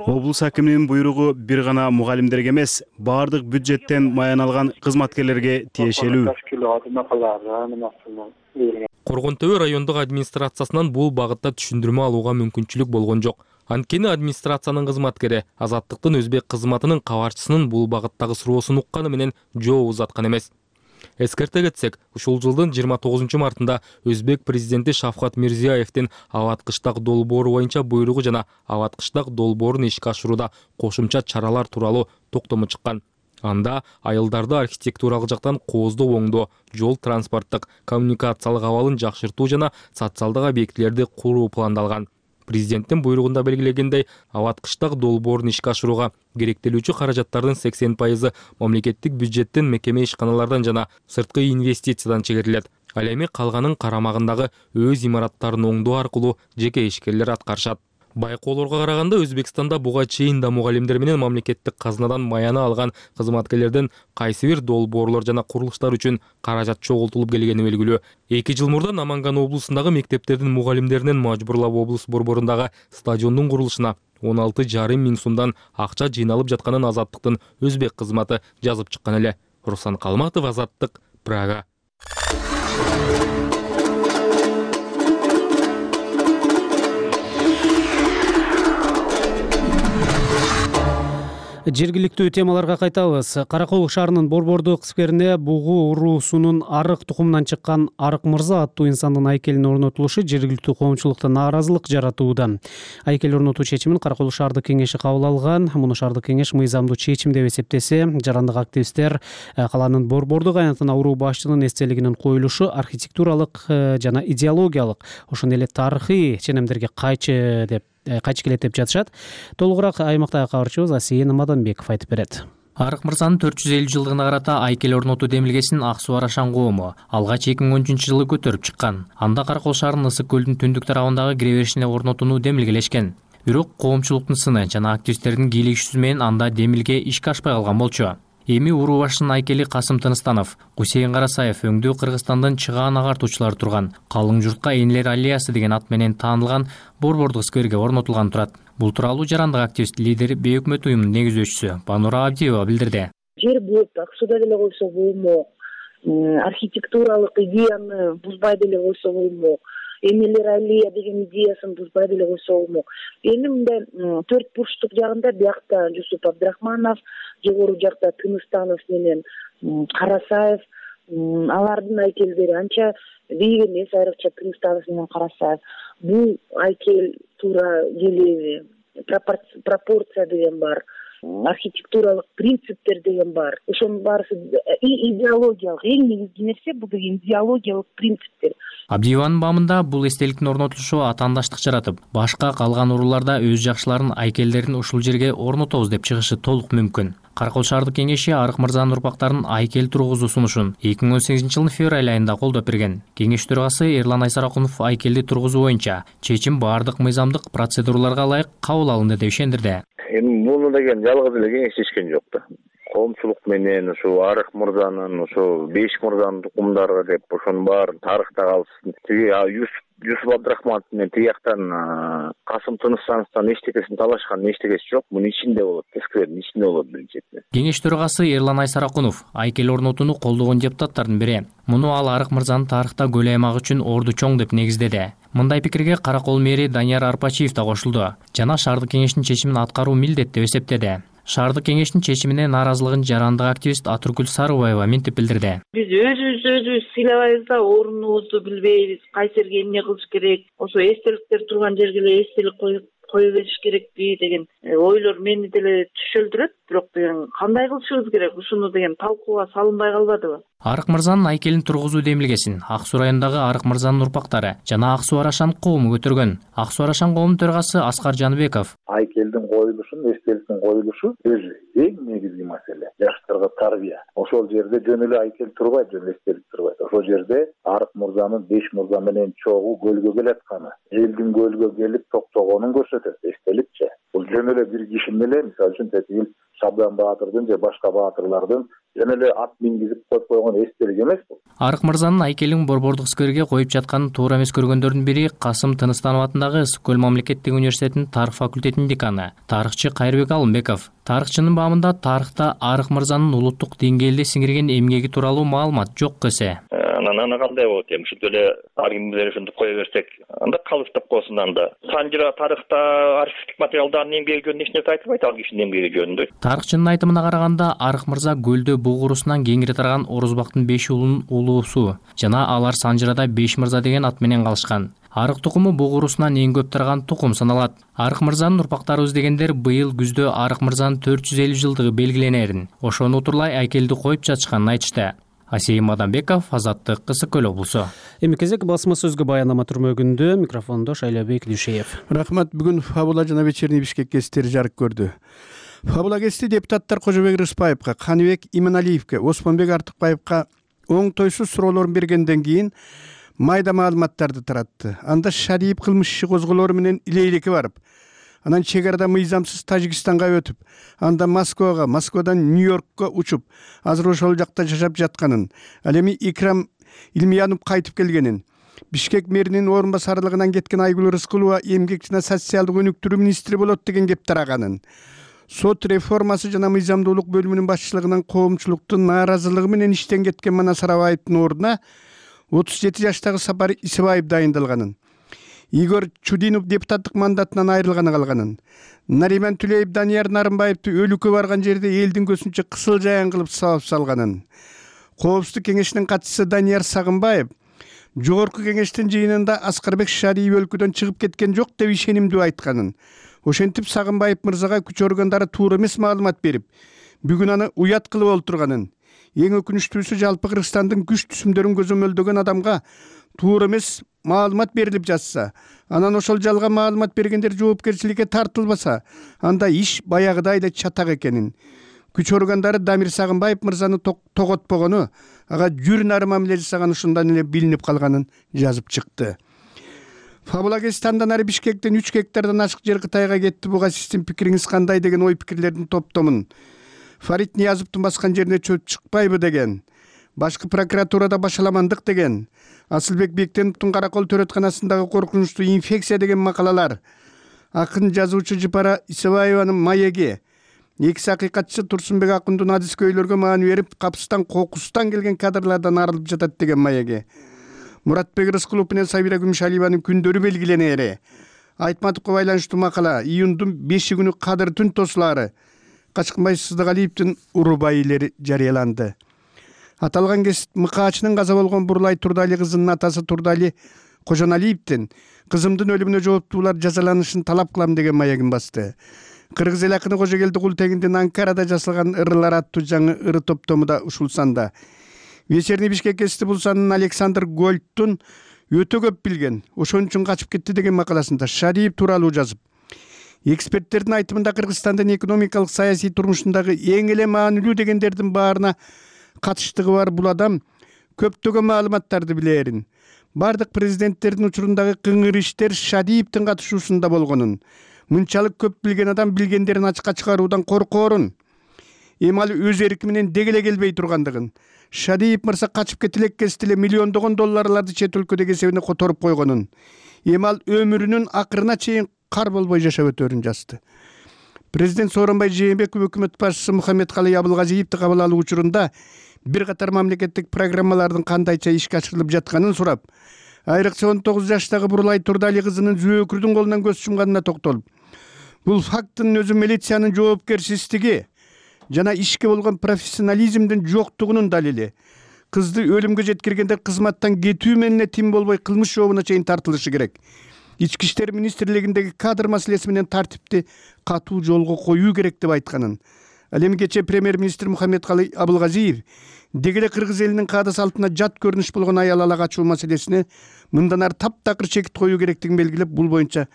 Облус акиминин буйругу бир гана мугалимдерге эмес, баардык бюджеттен маяна алган кызматкерлерге тиешелүү. Коргон Төбө райондук администрациясынан бул багытта түшүндүрмө алууга мүмкүнчүлүк болгон жок. Анткени администрациянын кызматкери Азаттыктын өзбек кызматынын кабарчысынын бул багыттагы суроосун укканы менен жооп узаткан эмес. Эскерте кетсек, ушул жылдын 29 мартында өзбек президенти Шавкат Мирзиёевдин Абат-Кыштак долбоору боюнча буйругу жана Абат-Кыштак долбоорун ишке ашырууда кошумча чаралар тууралуу токтому чыккан. Анда айылдарды архитектуралык жактан кооздоо оңдоо, жол транспорттук, коммуникациялык абалын жакшыртуу жана социалдык объектилерди куруу пландалган. Президенттин буйругунда белгилегендей, Абат-Кыштак долбоорун ишке ашырууга керектелүүчү каражаттардын 80% мамлекеттик бюджеттен, мекеме ишканалардан жана сырткы инвестициядан чегерилет. Ал эми калганын карамагындагы өз имараттарын оңдоо аркылуу жеке ишкерлер аткарышат. Байкоолорго караганда Өзбекстанда буга чейин да мугалимдер менен мамлекеттик казынадан маяна алган кызматкерлерден кайсы бир долбоорлор жана курулуштар үчүн каражат чогултулуп келгени белгилүү. 2 жыл мурда Наманган облусундагы мектептердин мугалимдеринен мажбурлап облус борборундагы стадиондун курулушуна 16,5 миң сомдон акча жыйналып жатканын Азаттыктын өзбек кызматы жазып чыккан эле. Руслан Калматов, Азаттык, Прага. Жергиликтүү темаларга кайтабыз. Каракол шаарынын Борбордук скверине бугу уруусунун арык тукумунан чыккан Арык Мырза аттуу инсандын айкелинин орнотулушу жергиликтүү коомчулукта нааразылык жаратууда. Айкел орнотуу чечимин Каракол шаардык кеңеши кабыл алган. Муну шаардык кеңеш мыйзамдуу чечим деп эсептесе, жарандык активисттер калаанын Борбордук аянтына уруу башчынын эстелигинин коюлушу архитектуралык жана идеологиялык, ошондой эле тарыхый ченемдерге кайчы келет деп жатышат. Толугураак аймактагы кабарчыбыз Асейин Маданбеков айтып берет. Арык Мырзанын 450 жылдыгына карата айкел орнотуу демилгесин Ак Суу Арашан коому алгач 2013 жылы көтөрүп чыккан. Анда Каракол шаарынын Ысык көлдүн түндүк тарабындагы кире беришине орнотууну демилгелешкен. Бирок коомчулуктун сыны жана активисттердин кийлигишүүсү менен анда демилге ишке ашпай калган болчу. Эми уруу башчынын айкели Касым Тыныстанов, Гусейин Карасаев өңдүү Кыргызстандын чыгаан агартуучулары турган Калың журтка Энелер аллеясы деген ат менен таанылган Борбордук скверге орнотулган турат. Бул тууралуу жарандык активист лидер Бейөкмөт уюмунун негиздөөчүсү Банура Абдиева билдирди. Жер болуп Ак Сууда деле койсо болмок, архитектуралык идеяны бузбай деле койсо болмок, Энелер аллея деген идеясын бузбай деле койсо болмок. Эми мындай 4 бурчтук жагында биякта Жусуп Абдрахманов, жогору жакта Тыныстанов менен Карасаев, алардын айкелдери анча бийик эмес, айрыкча Тыныстанов менен Карасаев. Бул айкел туура келеби, пропорция деген бар, архитектуралык принциптер деген бар. Ошонун баарысы идеологиялык, эң негизги нерсе бул деген идеологиялык принциптер. Абдиеванын бамында бул эстеликтин орнотулушу атаандаштык жаратып, башка калган урууларда өз жакшыларын айкелдерин ушул жерге орнотобуз деп чыгышы толук мүмкүн. Каракол шаардык кеңеши Арык Мырзанын урпактарын айкел тургузуу сунушун 2018 жылдын февраль айында колдоп берген. Кеңеш төрагасы Эрлан Айсаракунов айкелди тургузуу боюнча чечим баардык мыйзамдык процедураларга ылайык кабыл алынды деп ишендирди. Эми муну деген жалгыз эле кеңешишкен жок да. Коомчулук менен ушу Арык Мырзанын, ушу Беш Мырзанын тукумдары деп ошонун баарын тарыхта калсын. Тиги Жусуп Абдрахманов менен тияктан Касым Тыныстановдон эчтекесин талашкан эчтекеси жок. Мунун ичинде болот, сквердин ичинде болот биринчиден. Кеңеш төрагасы Эрлан Айсаракунов айкел орнотууну колдогон депутаттардын бири. Муну ал Арык Мырзанын тарыхта көл аймак үчүн орду чоң деп негиздеди. Мындай пикирге Каракол мэри Данияр Арпачиев да кошулду жана шаардык кеңештин чечимин аткаруу милдет деп эсептеди. Шаардык кеңештин чечимине нааразылыгын жарандык активист Атургүл Сарыбаева мынтип билдирди. Биз өзүбүз сыйлабайбыз да, орунубузду билбейбиз, кайсы жерге эмне кылыш керек, ошо эстеликтер турган жерге эле эстелик кое бериш керекпи деген ойлор мени деле түшөлдүрөт. Бирок деген кандай кылышыбыз керек, ушуну деген талкууга салынбай калбадыбы? Арык мырзанын айкелин тургузуу демилгесин Ак Суу районундагы Арык мырзанын урпактары жана Ак Суу Арашан коому көтөргөн. Ак Суу Арашан коомунун төрагасы Аскар Жаныбеков: айкелдин коюлушун, эстеликтин коюлушу өзү эң негизги маселе. Жаштарга тарбия. Ошол жерде жөн эле айкел турбайт, жөн эстелик турбайт. Ошол жерде Арык мырзанын 5 мырза менен чогуу көлгө келатканы, элдин көлгө келип токтогонун көрсөтөт. Эстеликчи. Бул жөн эле бир киши менен, мисалы үчүн Тетигил Шабдан Баатырдын же башка баатырлардын жөн эле ат мингизип коюп койгон эстелик эмес бул. Арык мырзанын айкелин Борбордук скверге коюп жатканын туура эмес көргөндөрдүн бири Касым Тыныстанов атындагы Ысык көл мамлекеттик университетинин тарых факультетинин деканы тарыхчы Кайрбек Алымбеков. Тарыхчынын баамында тарыхта Арык мырзанын улуттук деңгээлде сиңирген эмгеги тууралуу маалымат жок десе. Аны кандай болот эми? Ушинтип эле ар ким менен ушинтип кое берсек, анда калыштап койсун анда. Санжыра тарыхта архивдик материалдардын эмгеги жөнүндө эч нерсе айтылбайт, ал кишинин эмгеги жөнүндө. Тарыхчынын айтымына караганда, Арык мырза көлдө бугурусунан кеңири тараган Орозбактын 5 уулунун улуусу жана алар Санжырада 5 мырза деген ат менен калышкан. Арык тукуму бугурусунан эң көп тараган тукум саналат. Арык мырзанын урпактарыбыз дегендер быйыл күздө Арык мырзанын 450 жылдыгы белгиленерин, ошону утурлай айкелди коюп жатышканын айтышты. Асейим Мадамбеков, Азаттык, Ысык көл облусу. Эми кезек басма сөзгө баянама түрмөгүндө, микрофондо Шайлабек Дүйшеев. Рахмат. Бүгүн Фабула жана Вечерний Бишкек гезиттери жарык көрдү. Фабула гезити депутаттар Кожобек Рыспаевка, Каныбек Иманалиевке, Осмонбек Артыкбаевка оңтойсуз суроолорун бергенден кийин майда маалыматтарды таратты. Анда Шариев кылмыш иши козголору менен илейлекке барып, анан чек арада мыйзамсыз Тажикстанга өтүп, анда Москвага, Москвадан Нью-Йоркко учуп, азыр ошол жакта жашап жатканын, ал эми Икрам Илмиянов кайтып келгенин, Бишкек мэринин орун басарлыгынан кеткен Айгүл Рыскулова эмгек жана социалдык өнүктүрүү министри болот деген кеп тараганын, сот реформасы жана мыйзамдуулук бөлүмүнүн башчылыгынан коомчулуктун нааразылыгы менен иштен кеткен Манас Арабаевдин ордуна 37 жаштагы Сапар Исыбаев дайындалганын, Игорь Чудинов депутаттык мандатынан айрылганы калганын, Нариман Түлеев Данияр Нарымбаевди өлүккө барган жерде элдин көзүнчө кысыл жаян кылып сабап салганын, Коопсуздук кеңештин катчысы Данияр Сагынбаев жогорку кеңештин жыйынында Аскарбек Шариев өлкөдөн чыгып кеткен жок деп ишенимдүү айтканын, ошентип Сагынбаев мырзага күч органдары туура эмес маалымат берип, бүгүн аны уят кылып олтурганын, эң өкүнүчтүүсү жалпы Кыргызстандын күч түсүмдөрүн көзөмөлдөгөн адамга туура эмес маалымат берилип жатса, анан ошол жалган маалымат бергендер жоопкерчиликке тартылбаса, анда иш баягыдай эле чатак экенин, күч органдары Дамир Сагынбаев мырзаны тоготпогону, ага жүр нары мамиле жасаган ушундан эле билинип калганын жазып чыкты. Фабула гезити андан ары Бишкектен 3 гектардан ашык жер Кытайга кетти. Буга сиздин пикириңиз кандай деген ой пикирлердин топтомун. Фарид Ниязовдун баскан жерине чөп чыкпайбы деген, башкы прокуратурада башаламандык деген, Асылбек Бектеновдун Каракол төрөтканасындагы коркунучтуу инфекция деген макалалар, акын жазуучу Жыпара Исыбаеванын маеги, экиси акыйкатчы Турсунбек Акундун адискөйлөргө маани берип, капыстан кокустан келген кадрлардан арылып жатат деген маеги, Муратбек Рыскулов менен Сабира Күмүшалиеванын күндөрү белгиленери, Айтматовго байланыштуу макала, июндун 5 күнү кадыр түн тосулары, Качкынбай Сыздыгалиевдин урубайылери жарыяланды. Аталган гезит Мыкаачынын каза болгон Бурлай Турдали кызынын атасы Турдали Кожоналиевдин кызымдын өлүмүнө жооптуулар жазаланышын талап кылам деген маегин басты. Кыргыз эл акыны Кожогелди Култегиндин Анкарада жасалган ырылар аттуу жаңы ыры топтому да ушул санда. Вечерний Бишкек гезити бул санын Александр Гольдтун өтө көп билген, ошон үчүн качып кетти деген макаласында Шариев тууралуу жазып, эксперттердин айтымында Кыргызстандын экономикалык саясий турмушундагы эң эле маанилүү дегендердин баарына катыштыгы бар бул адам көптөгөн маалыматтарды билерин, бардык президенттердин учурундагы кыңыр иштер Шариевдин катышуусунда болгонун, мынчалык көп билген адам билгендерин ачыкка чыгаруудан коркоорун, эми ал өз эрки менен дегеле келбей тургандыгын, Шариев мырза качып кетилек кезде эле миллиондогон долларларды чет өлкөдөгү эсебине которуп койгонун, эми ал өмүрүнүн акырына чейин кар болбой жашап өтөрүн жазды. Президент Сооронбай Жээнбеков өкмөт башчысы Мухаммедкалый Абылгазиевди кабыл алуу учурунда бир катар мамлекеттик программалардын кандайча ишке ашырылып жатканын сурап, айрыкча 19 жаштагы Бурлай Турдали кызынын Зөөкүрдүн колунан көз жумганына токтолуп, бул факттын өзү милициянын жоопкерсиздиги жана ишке болгон профессионализмдин жоктугунун далили. Кызды өлүмгө жеткиргенде кызматтан кетүү менен тим болбой кылмыш жообуна чейин тартылышы керек. Ички иштер министрлигиндеги кадр маселеси менен тартипти катуу жолго коюу керек деп айтканын. Ал эми кечээ премьер-министр Мухаммедкалый Абылгазиев деги эле кыргыз элинин каада салтына жат көрүнүш болгон аял ала качуу маселесине мындан ары таптакыр чекит коюу керектигин белгилеп, бул боюнча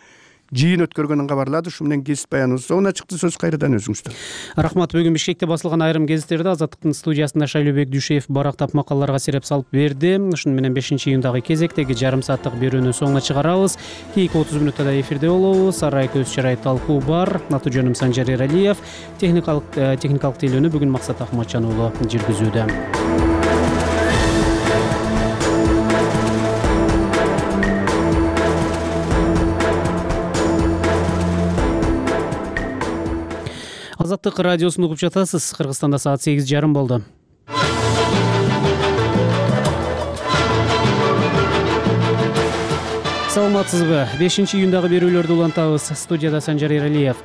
жыйын өткөргөнүн кабарлады. Ушу менен кесип баяныбыз соңуна чыкты. Сөз кайрадан өзүңүздө. Рахмат. Бүгүн Бишкекте басылган айрым гезиттерде Азаттыктын студиясында Шайлообек Дүйшеев барактап макалаларга сереп салып берди. Ушуну менен 5-июндагы кезектеги жарым сааттык берүүнү соңуна чыгарабыз. Кийинки 30 минутта да эфирде болобуз. Арай көз чарай талкуу бар. Аты жөнүм Санжар Эралиев. Техникалык тейлөөнү бүгүн Максат Ахматжан уулу жүргүзүүдө. Азаттык радиосун угуп жатасыз. Кыргызстанда саат 8:30 болду. Саламатсызбы? 5-июндагы берүүлөрдү улантабыз. Студияда Санжар Эралиев.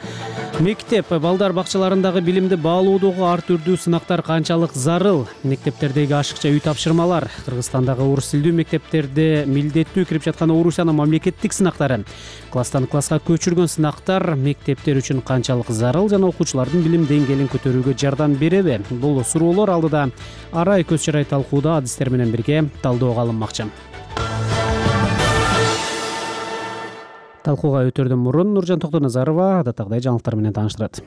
Мектеп, балдар бакчаларындагы билимди баалоодогу ар түрдүү сынактар канчалык зарыл? Мектептердеги ашыкча үй тапшырмалар, Кыргызстандагы орус тилдүү мектептерде милдеттүү кирип жаткан Орусиянын мамлекеттик сынактары, класстан класска көчүргөн сынактар мектептер үчүн канчалык зарыл жана окуучулардын билим деңгээлин көтөрүүгө жардам береби? Бул суроолор алдыда Арай көз чарай талкууда адистер менен бирге талдоого алынмакчы. Талкууга өтөрдөн мурун Нуржан Токтоназарова адаттагыдай жаңылыктар менен тааныштырат.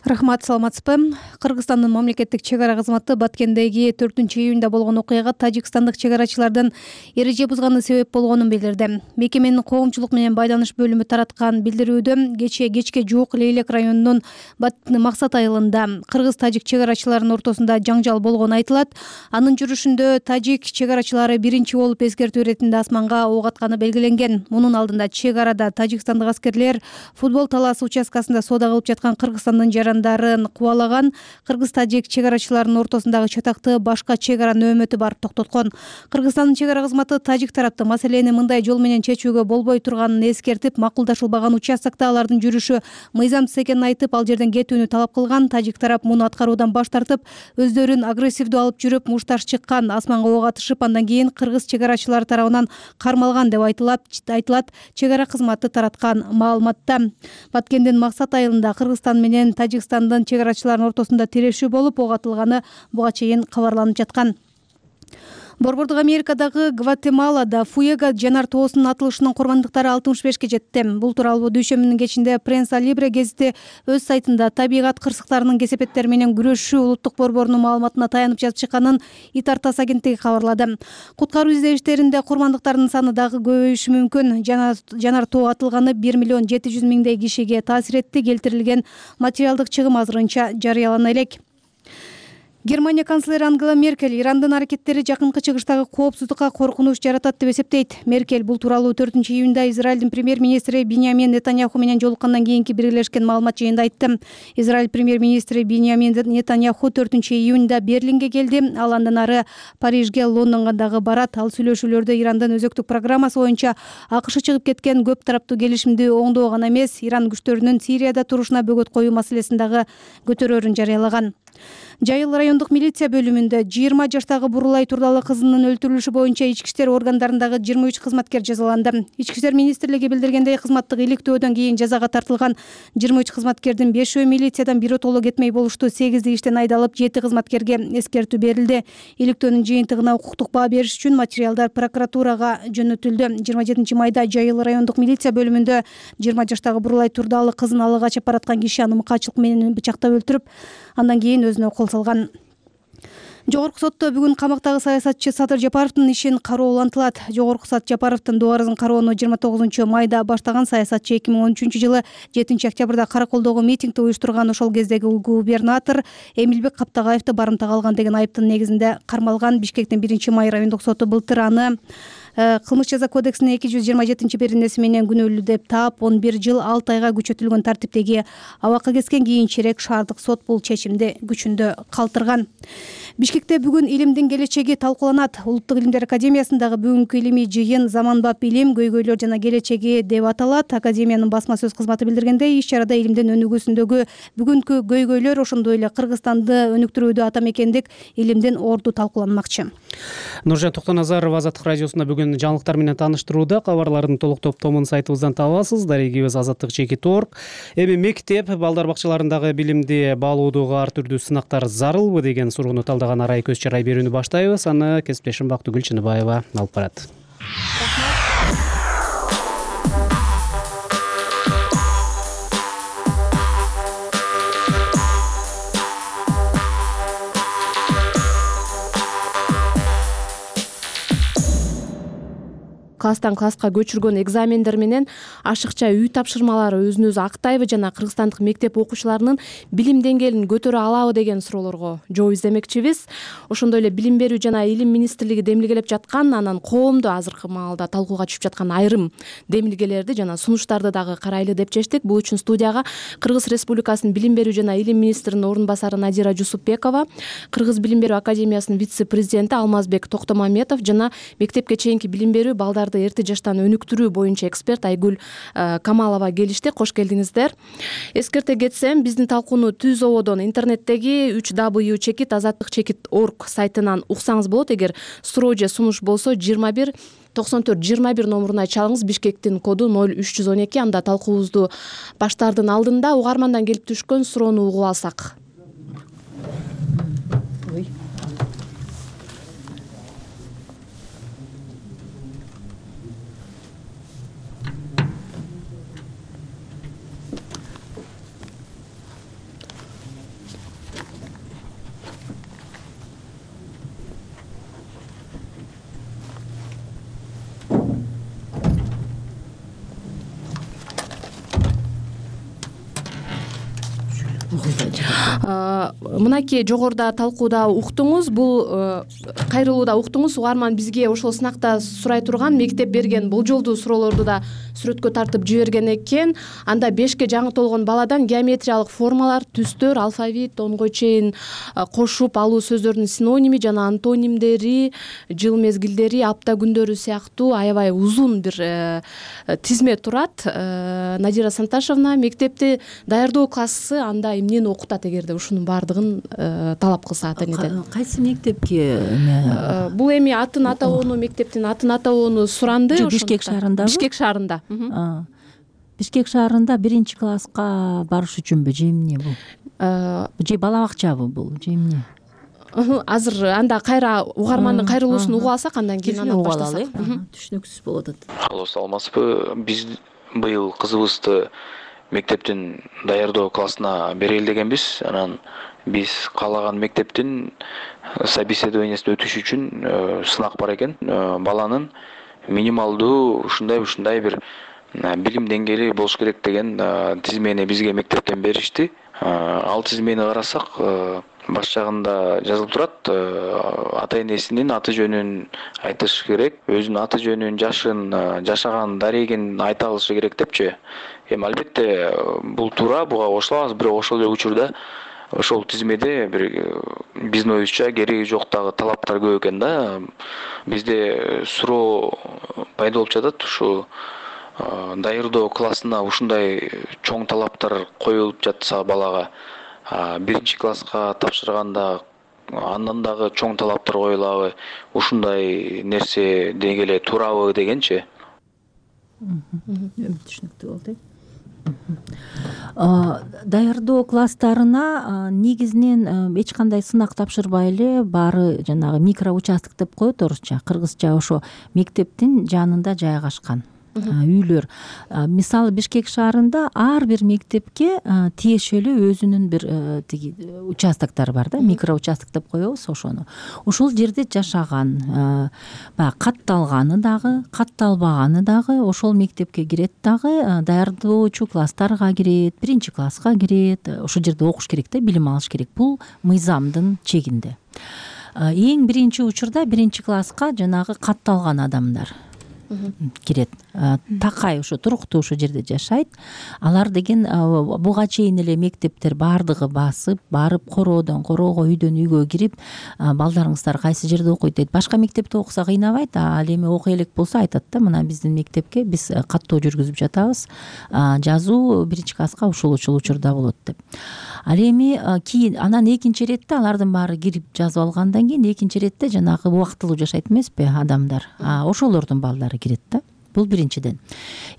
Рахмат, саламатсызбы? Кыргызстандын мамлекеттик чек ара кызматы Баткендеги 4-июнда болгон окуяга тажикстандык чек арачылардын эреже бузганы себеп болгонун билдирди. Мекеменин коомчулук менен байланыш бөлүмү тараткан билдирүүдө кечке жуук Лейлек районунун Максат айылында кыргыз-тажик чек арачыларынын ортосунда жаңжал болгону айтылат. Анын жүрүшүндө тажик чек арачылары биринчи болуп эскертүү иретинде асманга ок атканы белгиленген. Мунун алдында чек арада тажикстандык аскерлер футбол талаасы участкасында соода кылып жаткан Кыргызстандын дарын кубалаган. Кыргыз-тажик чек арачыларынын ортосундагы чатакты башка чек ара нөөмөтү барып токтоткон. Кыргызстандын чек ара кызматы тажик тарапты маселени мындай жол менен чечүүгө болбой турганын эскертип, макулдашылбаган участокто алардын жүрүшү мыйзамсыз экенин айтып, ал жерден кетүүнү талап кылган. Тажик тарап муну аткаруудан баш тартып, өздөрүн агрессивдүү алып жүрүп, мушташ чыккан, асманга ок атышып, андан кийин кыргыз чек арачылары тарабынан кармалган деп айтылат. Чек ара кызматы тараткан маалыматта. Баткендин Максат айылында Кыргызстан менен Тажикстандын чек арачыларынын ортосунда тирешүү болуп, ок атылганы буга чейин кабарланып жаткан. Борбордук Америкадагы Гватемалада Фуэго жанар тоосунун атылышынын курмандыктары 65-ке жетти. Бул тууралуу дүйшөмбүнүн кечинде Пресса Либре гезити өз сайтында табигат кырсыктарынын кесепеттери менен күрөшүү улуттук борборунун маалыматына таянып жазып чыкканын Итартас агенттиги кабарлады. Куткаруу издештеринде курмандыктардын саны дагы көбөйүшү мүмкүн. Жанар тоо атылганы 1,7 миллион кишиге таасир этти. Келтирилген материалдык чыгым азырынча жарыялана элек. Германия канцлери Ангела Меркель Ирандын аракеттери жакынкы чыгыштагы коопсуздукка коркунуч жаратат деп эсептейт. Меркель бул тууралуу 4-июнда Израилдин премьер-министри Биньямин Нетаньяху менен жолуккандан кийинки биргелешкен маалымат жыйында айтты. Израиль премьер-министри Биньямин Нетаньяху 4-июнда Берлинге келди. Ал андан ары Парижге, Лондонго дагы барат. Ал сүйлөшүүлөрдө Ирандын өзөктүк программасы боюнча АКШ чыгып кеткен көп тараптуу келишимди оңдоо гана эмес, Иран күчтөрүнүн Сирияда турушуна бөгөт коюу маселесин дагы көтөрөрүн жарыялаган. Жайыл райондук милиция бөлүмүндө 20 жаштагы Бурулай Турдалы кызынын өлтүрүлүшү боюнча ички иштер органдарындагы 23 кызматкер жазаланды. Ички иштер министрлиги билдиргендей, кызматтык иликтөөдөн кийин жазага тартылган 23 кызматкердин 5-өө милициядан биротоло кетмей болушту. 8-и иштен айдалып, 7 кызматкерге эскертүү берилди. Иликтөөнүн жыйынтыгына укуктук баа бериш үчүн материалдар прокуратурага жөнөтүлдү. 27 майда Жайыл райондук милиция бөлүмүндө 20 жаштагы Бурулай Турдалы кызын алга качып бараткан киши аны мыкаачылык менен бычактап өлтүрүп, андан кийин өзүнө кол салган. Жогорку сотто бүгүн камактагы саясатчы Садыр Жапаровдун ишин кароо улантылат. Жогорку сот Жапаровдун дуарызын кароону 29 майда баштаган. Саясатчы 2013-жылы 7-октябрда Караколдогу митингди уюштурган. Ошол кездеги губернатор Эмилбек Каптагаевди барымтага алган деген айыптын негизинде кармалган. Бишкектин 1-май райондук соту былтыр аны кылмыш жаза кодексинин 227 менен күнөөлүү деп таап 11 жыл 6 айга күчөтүлгөн тартиптеги абакка кеткен кийинчерээк шаардык сот бул чечимди күчүндө калтырган. Бишкекте бүгүн илимдин келечеги талкууланат. Улуттук илимдер академиясындагы бүгүнкү илимий жыйын «Заманбап илим, көйгөйлөр жана келечеги» деп аталат. Академиянын басма сөз кызматы билдиргендей, иш-чарада илимдин өнүгүүсүндөгү бүгүнкү көйгөйлөр, ошондой эле Кыргызстанды өнүктүрүүдө ата мекендик илимдин орду талкууланмакчы. Нуржан Токтоназарова Азаттык радиосунда бүгүн жаңылыктар менен тааныштырууда. Кабарлардын толук топтомун сайтыбыздан табасыз. Дарегибиз azattik.org. Эми мектеп, балдар бакчаларындагы билимди баалоодогу ар түрдүү сынактар зарылбы деген суроону талдаган арай көз чарай берүүнү баштайбыз. Аны кесиптешим Бактыгүл Чыныбаева алып барат. Класстан класска көчүргөн экзамендер менен ашыкча үй тапшырмалары өзүн өзү актайбы жана кыргызстандык мектеп окуучуларынын билим деңгээлин көтөрө алабы деген суроолорго жооп издемекчибиз. Ошондой эле билим берүү жана илим министрлиги демилгелеп жаткан, анан коомдо азыркы маалда талкууга түшүп жаткан айрым демилгелерди жана сунуштарды дагы карайлы деп чечтик. Бул үчүн студияга Кыргыз Республикасынын билим берүү жана илим министринин орун басары Надира Жусупбекова, Кыргыз билим берүү академиясынын вице-президенти Алмазбек Токтомаметов жана мектепке чейинки билим берүү, балдарды эрте жаштан өнүктүрүү боюнча эксперт Айгүл Камалова келишти. Кош келдиңиздер. Эскерте кетсем, биздин талкууну түз ободон интернеттеги www.azattik.org сайтынан уксаңыз болот. Эгер суроо же сунуш болсо 21 94 21 номуруна чалыңыз. Бишкектин коду 0312. Анда талкуубузду баштаардын алдында угармандан келип түшкөн суроону угуп алсак. Мынакей жогоруда талкууда уктуңуз, бул кайрылууда уктуңуз. Угарман бизге ошол сынакта сурай турган, мектеп берген болжолдуу суроолорду да сүрөткө тартып жиберген экен. Анда 5ке жаңы толгон баладан геометриялык формалар, түстөр, алфавит, онго чейин кошуп алуу сөздөрдүн синоними жана антонимдери, жыл мезгилдери, апта күндөрү сыяктуу аябай узун бир тизме турат. Надира Санташевна, мектепти даярдоо классы анда эмнени окутат эгерде ушунун баардыгын талап кылса ата энеден? Кайсы мектепке? Бул эми атын атоону, мектептин атын атоону суранды. Бишкек шаарындабы? Бишкек шаарында. Бишкек шаарында 1-класска барыш үчүнбү, же эмне бул? Же бала бакчабы бул, же эмне? Азыр анда кайра угармандын кайрылуусун угуп алсак, андан кийин анан баштасак. Түшүнүксүз болуп атат. Алло, саламатсызбы? Биз быйыл кызыбызды мектептин даярдоо классына берели дегенбиз. Анан биз каалаган мектептин собеседованиясына өтүш үчүн сынак бар экен. Баланын минималдуу ушундай бир билим деңгээли болуш керек деген тизмени бизге мектептен беришти. Ал тизмени карасак, баш жагында жазылып турат, ата энесинин аты жөнүн айтыш керек, өзүнүн аты жөнүн, жашын, жашаган дарегин айта алышы керек депчи. Эми албетте бул туура, буга кошулабыз, бирок ошол эле учурда ошол тизмеде бир биздин оюбузча кереги жок дагы талаптар көп экен да. Бизде суроо пайда болуп жатат, ушу даярдоо классына ушундай чоң талаптар коюлуп жатса балага, 1-класска тапшырганда андан дагы чоң талаптар коюлабы, ушундай нерсе деги эле туурабы дегенчи. Түшүнүктүү болду. Даярдоо класстарына негизинен эч кандай сынак тапшырбай эле, баары жанагы микроучасток деп коет орусча, кыргызча ошо мектептин жанында жайгашкан үйлөр. Мисалы Бишкек шаарында ар бир мектепке тиешелүү өзүнүн бир тиги участоктор бар да, микроучасток деп коебуз ошону. Ошол жерде жашаган, баягы катталганы дагы, катталбаганы дагы ошол мектепке кирет дагы, даярдоочу класстарга кирет, 1-класска кирет, ошол жерде окуш керек да, билим алыш керек. Бул мыйзамдын чегинде. Эң биринчи учурда 1-класска жанагы катталган адамдар кирет. Такай ошо туруктуу ошо жерде жашайт. Алар деген буга чейин эле мектептер баардыгы басып барып короого үйдөн үйгө кирип балдарыңыздар кайсы жерде окуйт дейт. Башка мектепте окуса кыйнабайт, ал эми окуй элек болсо айтат да, мына биздин мектепке биз каттоо жүргүзүп жатабыз, жазуу 1-класска ушул учурда болот деп. Ал эми кийин анан экинчи иретте алардын баары кирип жазып алгандан кийин экинчи иретте жанагы убактылуу жашайт эмеспи адамдар, ошолордун балдары кирет да. Бул биринчиден.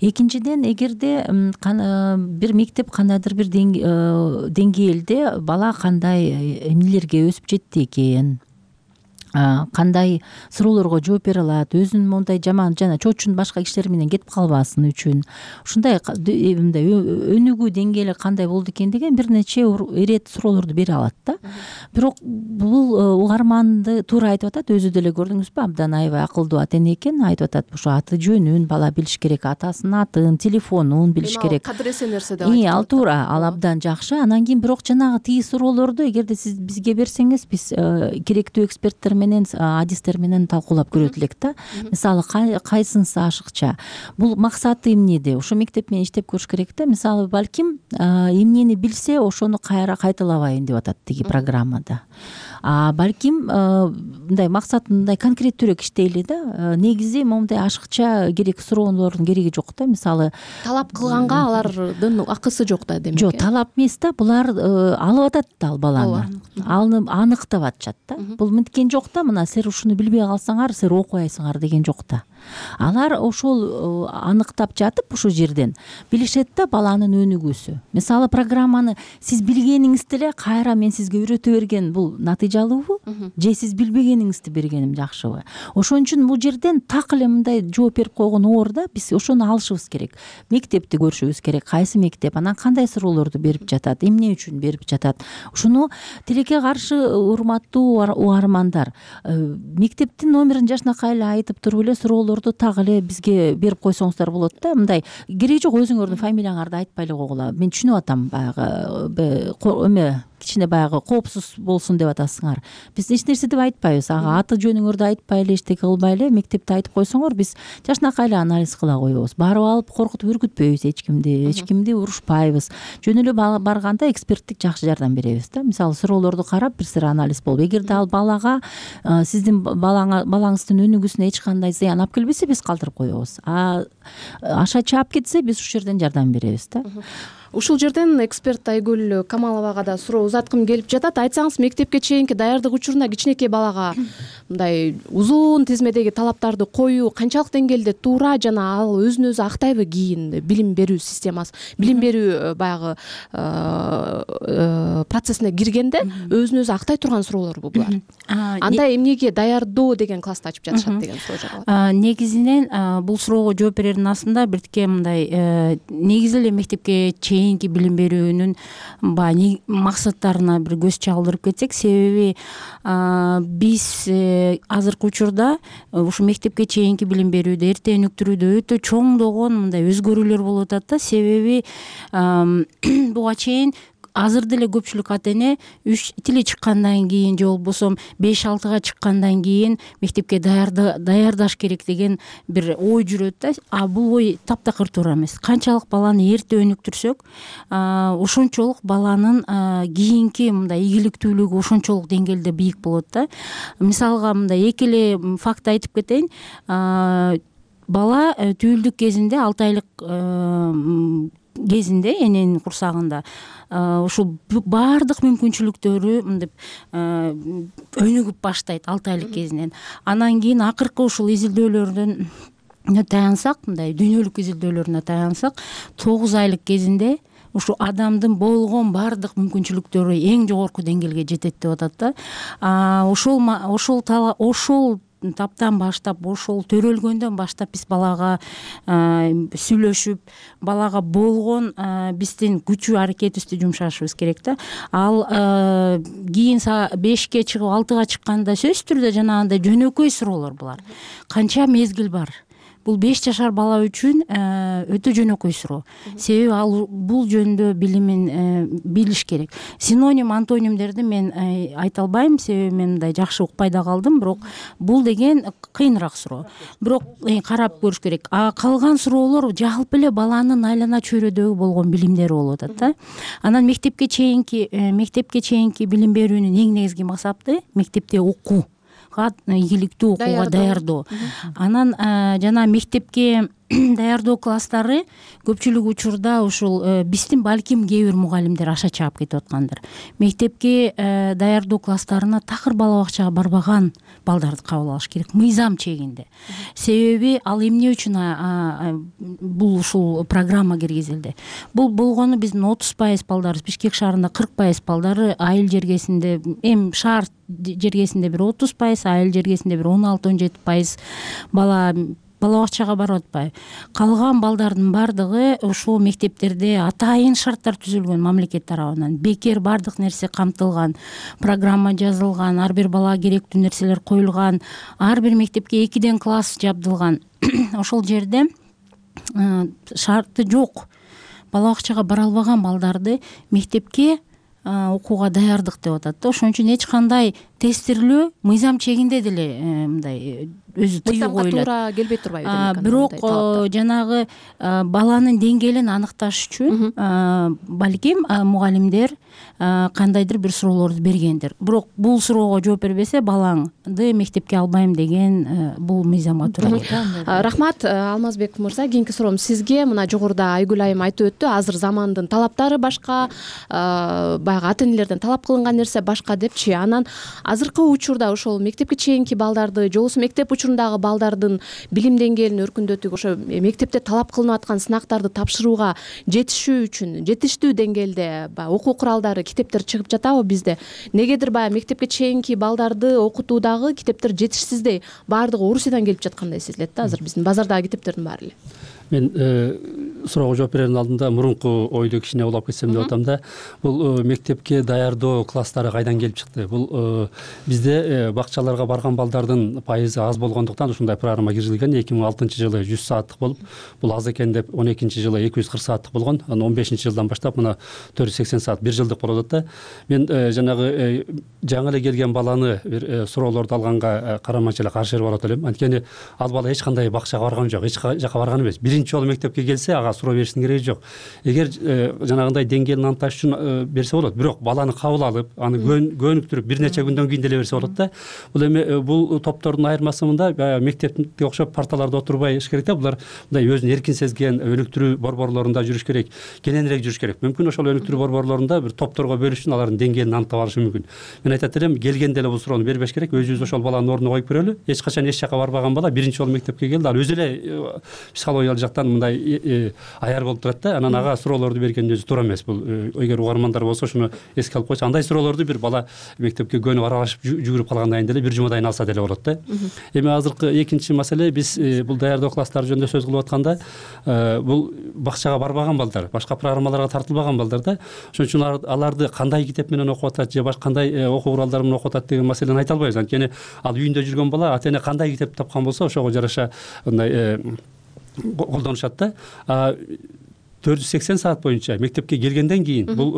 Экинчиден, эгерде бир мектеп кандайдыр бир деңгээлде бала кандай эмнелерге өсүп жетти экен, кандай суроолорго жооп бере алат, өзүнүн мондай жаман жана чочун башка кишилер менен кетип калбасын үчүн ушундай мындай өнүгүү деңгээли кандай болду экен деген бир нече ирет суроолорду бере алат да. Бирок бул угарманды туура айтып атат, өзү деле көрдүңүзбү, абдан аябай акылдуу ата эне экен, айтып атат ошо аты жөнүн бала билиш керек, атасынын атын, телефонун билиш керек. Кадыресе нерсе деп айтып. Ал туура, ал абдан жакшы. Анан кийин бирок жанагы тиги суроолорду эгерде сиз бизге берсеңиз, биз керектүү эксперттер адистер менен талкуулап көрөт элек да. Мисалы кайсынысы ашыкча, бул максаты эмнеде, ошо мектеп менен иштеп көрүш керек да. Мисалы балким эмнени билсе ошону кайра кайталабайын деп атат тиги программада. Балким мындай максатын мындай конкреттүүрөөк иштейли да. Негизи момундай ашыкча керек суроолордун кереги жок да. Мисалы талап кылганга алардын акысы жок да демек. Жок, талап эмес да, булар алып атат да ал баланы. Аны аныктап атышат да. Бул мынткен жок да, мына силер ушуну билбей калсаңар силер окубайсыңар деген жок да. Алар ошол аныктап жатып ушул жерден билишет да баланын өнүгүүсү. Мисалы программаны сиз билгениңизди эле кайра мен сизге үйрөтө берген бул натыйжалуубу же сиз билбегениңизди бергеним жакшыбы? Ошон үчүн бул жерден так эле мындай жооп берип койгон оор да, биз ошону алышыбыз керек. Мектепти көрүшүбүз керек, кайсы мектеп, анан кандай суроолорду берип жатат, эмне үчүн берип жатат. Ушуну тилекке каршы урматтуу угармандар, мектептин номерин жашынакай эле айтып туруп эле суроолорду так эле бизге берип койсоңуздар болот да. Мындай кереги жок, өзүңөрдүн фамилияңарды айтпай эле койгула. Мен түшүнүп атам, баягы кичине баягы коопсуз болсун деп атасыңар. Биз эч нерсе деп айтпайбыз. Аты жөнүңөрдү айтпай эле, эчтеке кылбай эле мектепти айтып койсоңор, биз жашынакай эле анализ кыла коебуз. Барып алып коркутуп үркүтпөйбүз эч кимди урушпайбыз. Жөн эле барганда эксперттик жакшы жардам беребиз да. Мисалы суроолорду карап бир сыйра анализ болуп, эгерде ал балага сиздин балаңыздын өнүгүүсүнө эч кандай зыян алып келбесе, биз калтырып коебуз. Аша чаап кетсе, биз ушул жерден жардам беребиз да. Ушул жерден эксперт Айгүл Камаловага да суроо узаткым келип жатат. Айтсаңыз, мектепке чейинки даярдык учурунда кичинекей балага мындай узун тизмедеги талаптарды коюу канчалык деңгээлде туура, жана ал өзүн өзү актайбы кийин билим берүү системасы, билим берүү баягы процессине киргенде өзүн өзү актай турган суроолорбу булар? Андай эмнеге даярдоо деген классты ачып жатышат деген суроо жаралат. Негизинен бул суроого жооп берердин астында биртике мындай негизи эле мектепке чейинки билим берүүнүн баягы максаттарына бир көз чалдырып кетсек, себеби биз азыркы учурда ушу мектепке чейинки билим берүүдө, эрте өнүктүрүүдө өтө чоңдогон мындай өзгөрүүлөр болуп атат да. Себеби буга чейин азыр деле көпчүлүк ата эне 3 тили чыккандан кийин же болбосо 5-6 чыккандан кийин мектепке даярдаш керек деген бир ой жүрөт да. Бул ой таптакыр туура эмес. Канчалык баланы эрте өнүктүрсөк, ошончолук баланын кийинки мындай ийгиликтүүлүгү ошончолук деңгээлде бийик болот да. Мисалга мындай эки эле факт айтып кетейин. Бала түйүлдүк кезинде 6 айлык кезинде эненин курсагында ушул баардык мүмкүнчүлүктөрү мынтип өнүгүп баштайт 6 айлык кезинен. Анан кийин акыркы ушул изилдөөлөрдөн таянсак, мындай дүйнөлүк изилдөөлөрүнө таянсак, 9 айлык кезинде ушу адамдын болгон баардык мүмкүнчүлүктөрү эң жогорку деңгээлге жетет деп атат да. Ошол таптан баштап, ошол төрөлгөндөн баштап биз балага сүйлөшүп, балага болгон биздин күчү аракетибизди жумшашыбыз керек да. Ал кийин 5-ке чыгып 6-га чыкканда сөзсүз түрдө жанагындай жөнөкөй суроолор булар. Канча мезгил бар? бул 5 жашар бала үчүн өтө жөнөкөй суроо. Себеби ал бул жөнүндө билимин билиш керек. Синоним, антонимдерди мен айта албайм, себеби мен мындай жакшы укпай да калдым, бирок бул деген кыйыныраак суроо. Бирок карап көрүш керек. Калган суроолор жалпы эле баланын айлана чөйрөдөгү болгон билимдери болуп атат да. Анан мектепке чейинки билим берүүнүн эң негизги максаты мектепте окууга, ийгиликтүү окууга даярдоо. Анан жана мектепке даярдоо класстары көпчүлүк учурда ушул биздин балким кээ бир мугалимдер аша чаап кетип аткандыр. Мектепке даярдоо класстарына такыр бала бакчага барбаган балдарды кабыл алыш керек, мыйзам чегинде. Себеби ал эмне үчүн бул ушул программа киргизилди? Бул болгону биздин 30% балдарыбыз, Бишкек шаарында 40% балдары айыл жергесинде, эми шаар жергесинде бир 30%, айыл жергесинде бир 16-17% бала бакчага барып атпайбы? Калган балдардын бардыгы ушул мектептерде атайын шарттар түзүлгөн мамлекет тарабынан. Бекер бардык нерсе камтылган, программа жазылган, ар бир балага керектүү нерселер коюлган, ар бир мектепке 2 класс жабдылган. Ошол жерде шарты жок бала бакчага бара албаган балдарды мектепке окууга даярдык деп атат да. Ошон үчүн эч кандай тестирлөө мыйзам чегинде деле мындай өзү тыюу коюлат. Туура келбей турбайбы? Бирок жанагы баланын деңгээлин аныкташ үчүн балким мугалимдер кандайдыр бир суроолорду бергендир. Бирок бул суроого жооп бербесе балаңды мектепке албайм деген бул мыйзамга туура келет. Рахмат Алмазбек мырза. Кийинки суроом сизге. Мына жогоруда Айгүл айым айтып өттү, азыр замандын талаптары башка, баягы ата энелерден талап кылынган нерсе башка депчи. Анан азыркы учурда ошол мектепке чейинки балдарды же болбосо мектеп учурундагы балдардын билим деңгээлин өркүндөтүүгө, ошо мектепте талап кылынып аткан сынактарды тапшырууга жетишүү үчүн жетиштүү деңгээлде баягы окуу куралдары, китептер чыгып жатабы бизде? Негедир баягы мектепке чейинки балдарды окутуудагы китептер жетишсиздей, баардыгы Орусиядан келип жаткандай сезилет да азыр биздин базардагы китептердин баары эле. Мен суроого жооп берердин алдында мурунку ойду кичине улап кетсем деп атам да. Бул мектепке даярдоо класстары кайдан келип чыкты? Бул бизде бакчаларга барган балдардын пайызы аз болгондуктан ушундай программа киргизилген. 2006-жылы 100 сааттык болуп, бул аз экен деп 12-жылы 240 сааттык болгон. Анан 15-жылдан баштап мына 480 саат 1 жылдык болуп атат да. Мен жанагы жаңы эле келген баланы бир суроолорду алганга караманча эле каршы барып элем. Анткени ал бала эч кандай бакчага барган жок, эч жака барган эмес. Биринчи жолу мектепке келсе, ага суроо бериштин кереги жок. Эгер жанагындай деңгээлин аныкташ үчүн берсе болот. Бирок баланы кабыл алып, аны көнүктүрүп бир нече күндөн кийин деле берсе болот да. Бул эми бул топтордун айырмасы мында мектепке окшоп парталарда отурбай иш керек да. Булар мындай өзүн эркин сезген өнүктүрүү борборлорунда жүрүш керек, кененирээк жүрүш керек. Мүмкүн ошол өнүктүрүү борборлорунда бир топторго бөлүш үчүн алардын деңгээлин аныктап алышы мүмкүн. Мен айтат элем, келгенде эле бул суроону бербеш керек. Өзүбүз ошол баланын ордуна коюп көрөлү. Эч качан эч жака барбаган бала биринчи жолу мектепке келди. Ал өзү эле психологиялык жактан мындай аяр болуп турат да. Анан ага суроолорду берген өзү туура эмес. Бул эгер угармандар болсо ушуну эске алып койсо, андай суроолорду бир бала мектепке көнүп аралашып жүгүрүп калгандан кийин деле бир жумадан алса деле болот да. Эми азыркы экинчи маселе, биз бул даярдоо класстары жөнүндө сөз кылып атканда, бул бакчага барбаган балдар, башка программаларга тартылбаган балдар да. Ошон үчүн аларды кандай китеп менен окуп атат же башка кандай окуу куралдары менен окуп атат деген маселени айта албайбыз. Анткени ал үйүндө жүргөн бала ата эне кандай китеп тапкан болсо ошого жараша мындай колдонушат да. 480 саат боюнча мектепке келгенден кийин бул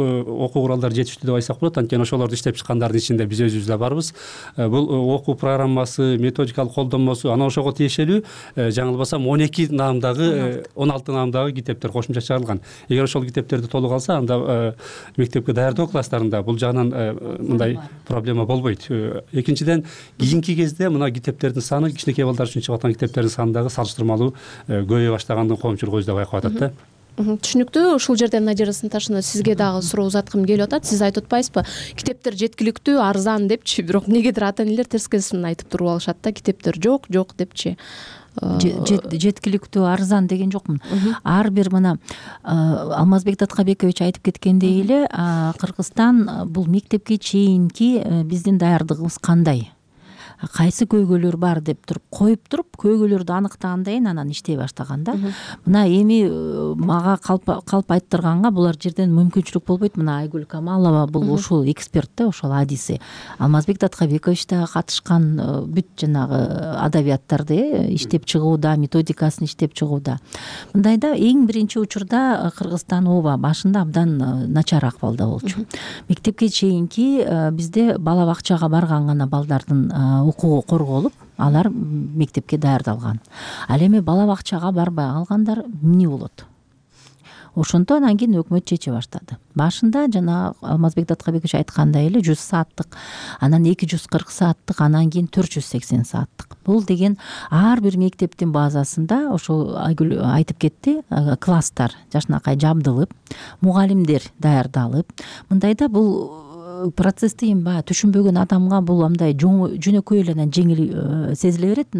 окуу куралдары жетиштүү деп айтсак болот. Анткени ошолорду иштеп чыккандардын ичинде биз өзүбүз да барбыз. Бул окуу программасы, методикалык колдонмосу, анан ошого тиешелүү жаңылбасам 12 наамдагы 16 наамдагы китептер кошумча чыгарылган. Эгер ошол китептерди толук алса, анда мектепке даярдоо класстарында бул жагынан мындай проблема болбойт. Экинчиден, кийинки кезде мына китептердин саны, кичинекей балдар үчүн чыгып аткан китептердин санындагы салыштырмалуу көбөйө баштагандыгын коомчулук өзү да байкап атат да. Түшүнүктүү. Ушул жерден Надира Сынташовна, сизге дагы суроо узаткым келип атат. Сиз айтып атпайсызбы, китептер жеткиликтүү, арзан депчи, бирок эмнегедир ата энелер терскесин айтып туруп алышат да, китептер жок депчи. Жеткиликтүү, арзан деген жокмун. Ар бир мына Алмазбек Таткабекович айтып кеткендей эле, Кыргызстан бул мектепке чейинки биздин даярдыгыбыз кандай? кайсы көйгөйлөр бар деп туруп коюп туруп көйгөйлөрдү аныктагандан кийин анан иштей баштаган да. Мына эми мага калп айттырганга булар жерден мүмкүнчүлүк болбойт. Мына Айгүл Камалова бул ушул эксперт да, ошол адиси. Алмазбек Таткабекович да катышкан бүт жанагы адабияттарды иштеп чыгууда, методикасын иштеп чыгууда. Мындайда эң биринчи учурда Кыргызстан ооба башында абдан начар акыбалда болчу. Мектепке чейинки бизде бала бакчага барган гана балдардын укугу корголуп, алар мектепке даярдалган. Ал эми бала бакчага барбай калгандар эмне болот? Ошондо анан кийин өкмөт чече баштады. Башында жана Алмазбек Таткабекович айткандай эле 100 сааттык, анан 240 сааттык, анан кийин 480 сааттык. Бул деген ар бир мектептин базасында ошо Айгүл айтып кетти, класстар жашынакай жабдылып, мугалимдер даярдалып, мындайда бул процессти эми баягы түшүнбөгөн адамга бул андай жөнөкөй эле анан жеңил сезиле берет.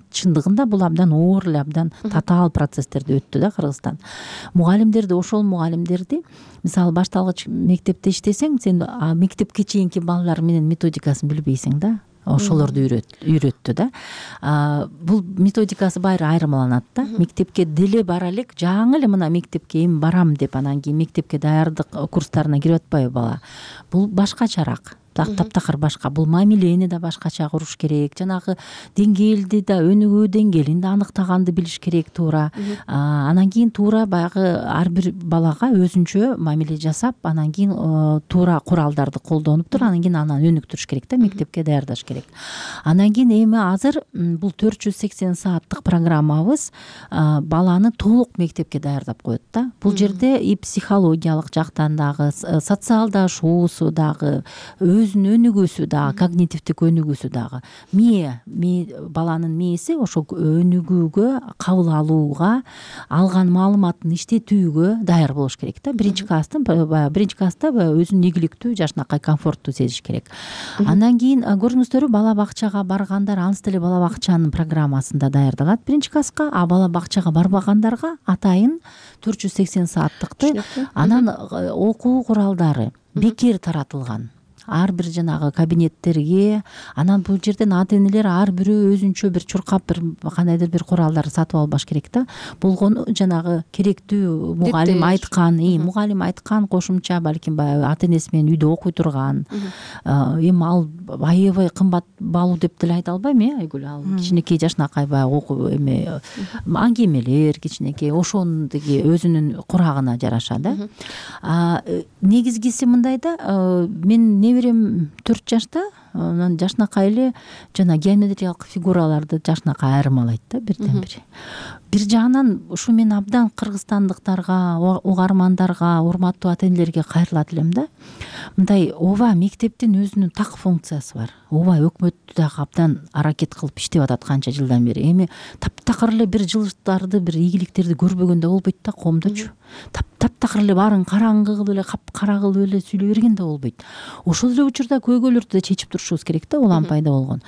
Чындыгында бул абдан оор эле, абдан татаал процесстерди өттү да Кыргызстан. Мугалимдерди, ошол мугалимдерди мисалы башталгыч мектепте иштесең, сен мектепке чейинки балалар менен методикасын билбейсиң да. Ошолорду үйрөттү да. Бул методикасы баары айырмаланат да. Мектепке деле бара элек, жаңы эле мына мектепке эми барам деп анан кийин мектепке даярдык курстарына кирип атпайбы бала. Бул башкачараак. Таптакыр башка. Бул мамилени да башкача куруш керек. Жанагы деңгээлди да, өнүгүү деңгээлин да аныктаганды билиш керек туура. Анан кийин туура баягы ар бир балага өзүнчө мамиле жасап, анан кийин туура куралдарды колдонуп туруп, анан кийин анан өнүктүрүш керек да, мектепке даярдаш керек. Анан кийин эми азыр бул 480 сааттык программабыз баланы толук мектепке даярдап коет да. Бул жерде и психологиялык жактан дагы, социалдашуусу дагы, өнүгүүсү дагы, когнитивдик өнүгүүсү дагы. Баланын мээси ошо өнүгүүгө, кабыл алууга, алган маалыматын иштетүүгө даяр болуш керек да. Биринчи класста өзүн ийгиликтүү, жашынакай комфорттуу сезиш керек. Андан кийин көрдүңүздөрбү, бала бакчага баргандар ансы деле бала бакчанын программасында даярдалат биринчи класска, а бала бакчага барбагандарга атайын 480 сааттыкты анан окуу куралдары бекер таратылган. Ар бир жанагы кабинеттерге, анан бул жерден ата-энелер ар бирөө өзүнчө бир чуркап бир кандайдыр бир куралдар сатып албаш керек да. Болгону жанагы керектүү мугалим айткан кошумча, балким баягы ата-энеси менен үйдө окуй турган. Эми ал аябай кымбат баалуу деп деле айта албайм, Айгүл. Ал кичинекей жашынакай баягы аңгемелер, кичинекей ошондуги өзүнүн курагына жараша да. Негизгиси мындай да, мен неберем 4 жашта, анан жашынакай эле жана геометриялык фигураларды жашынакай айырмалайт да бирден бири. Бир жагынан ушу мен абдан кыргызстандыктарга, угармандарга, урматтуу ата-энелерге кайрылат элем да. Мындай ооба мектептин өзүнүн так функциясы бар. Ооба өкмөт дагы абдан аракет кылып иштеп атат канча жылдан бери. Эми таптакыр эле бир жылыштарды, бир ийгиликтерди көрбөгөн да болбойт да коомдочу. Таптакыр эле баарын караңгы кылып эле, капкара кылып эле сүйлөй берген да болбойт. Ошол эле учурда көйгөйлөрдү да чечип турушубуз керек да, улам пайда болгон.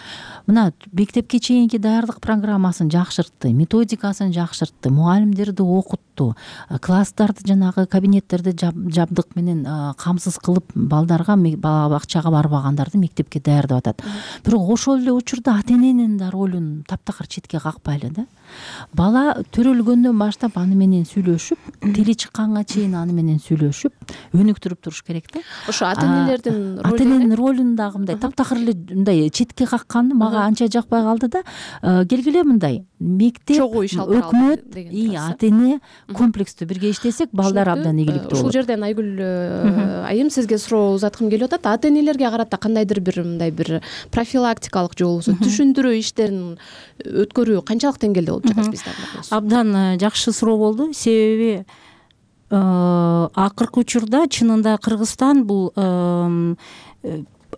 Мына мектепке чейинки даярдык программасын жакшыртты, методикасын жакшыртты, мугалимдерди окутту, класстарды жанагы кабинеттерди жабдык менен камсыз кылып балдарга, бала бакчага барбагандарды мектепке даярдап атат. Бирок ошол эле учурда ата-эненин да ролун таптакыр четке какпайлы да. Бала төрөлгөндөн баштап аны менен сүйлөшүп, тили чыкканга чейин аны менен сүйлөшүп, өнүктүрүп туруш керек да. Ошо ата-эненин ролун дагы мындай таптакыр эле мындай четке какканды мага анча жакпай калды да. Келгиле мындай мектеп, өкмөт, ата-эне комплекстүү бирге иштесек, балдар абдан ийгиликтүү болот. Ушул жерден Айгүл айым сизге суроо узаткым келип атат. Ата-энелерге карата кандайдыр бир мындай бир профилактикалык же болбосо түшүндүрүү иштерин өткөрүү канчалык деңгээлде болуп жатат бизде? Абдан жакшы суроо болду. Себеби акыркы учурда чынында Кыргызстан бул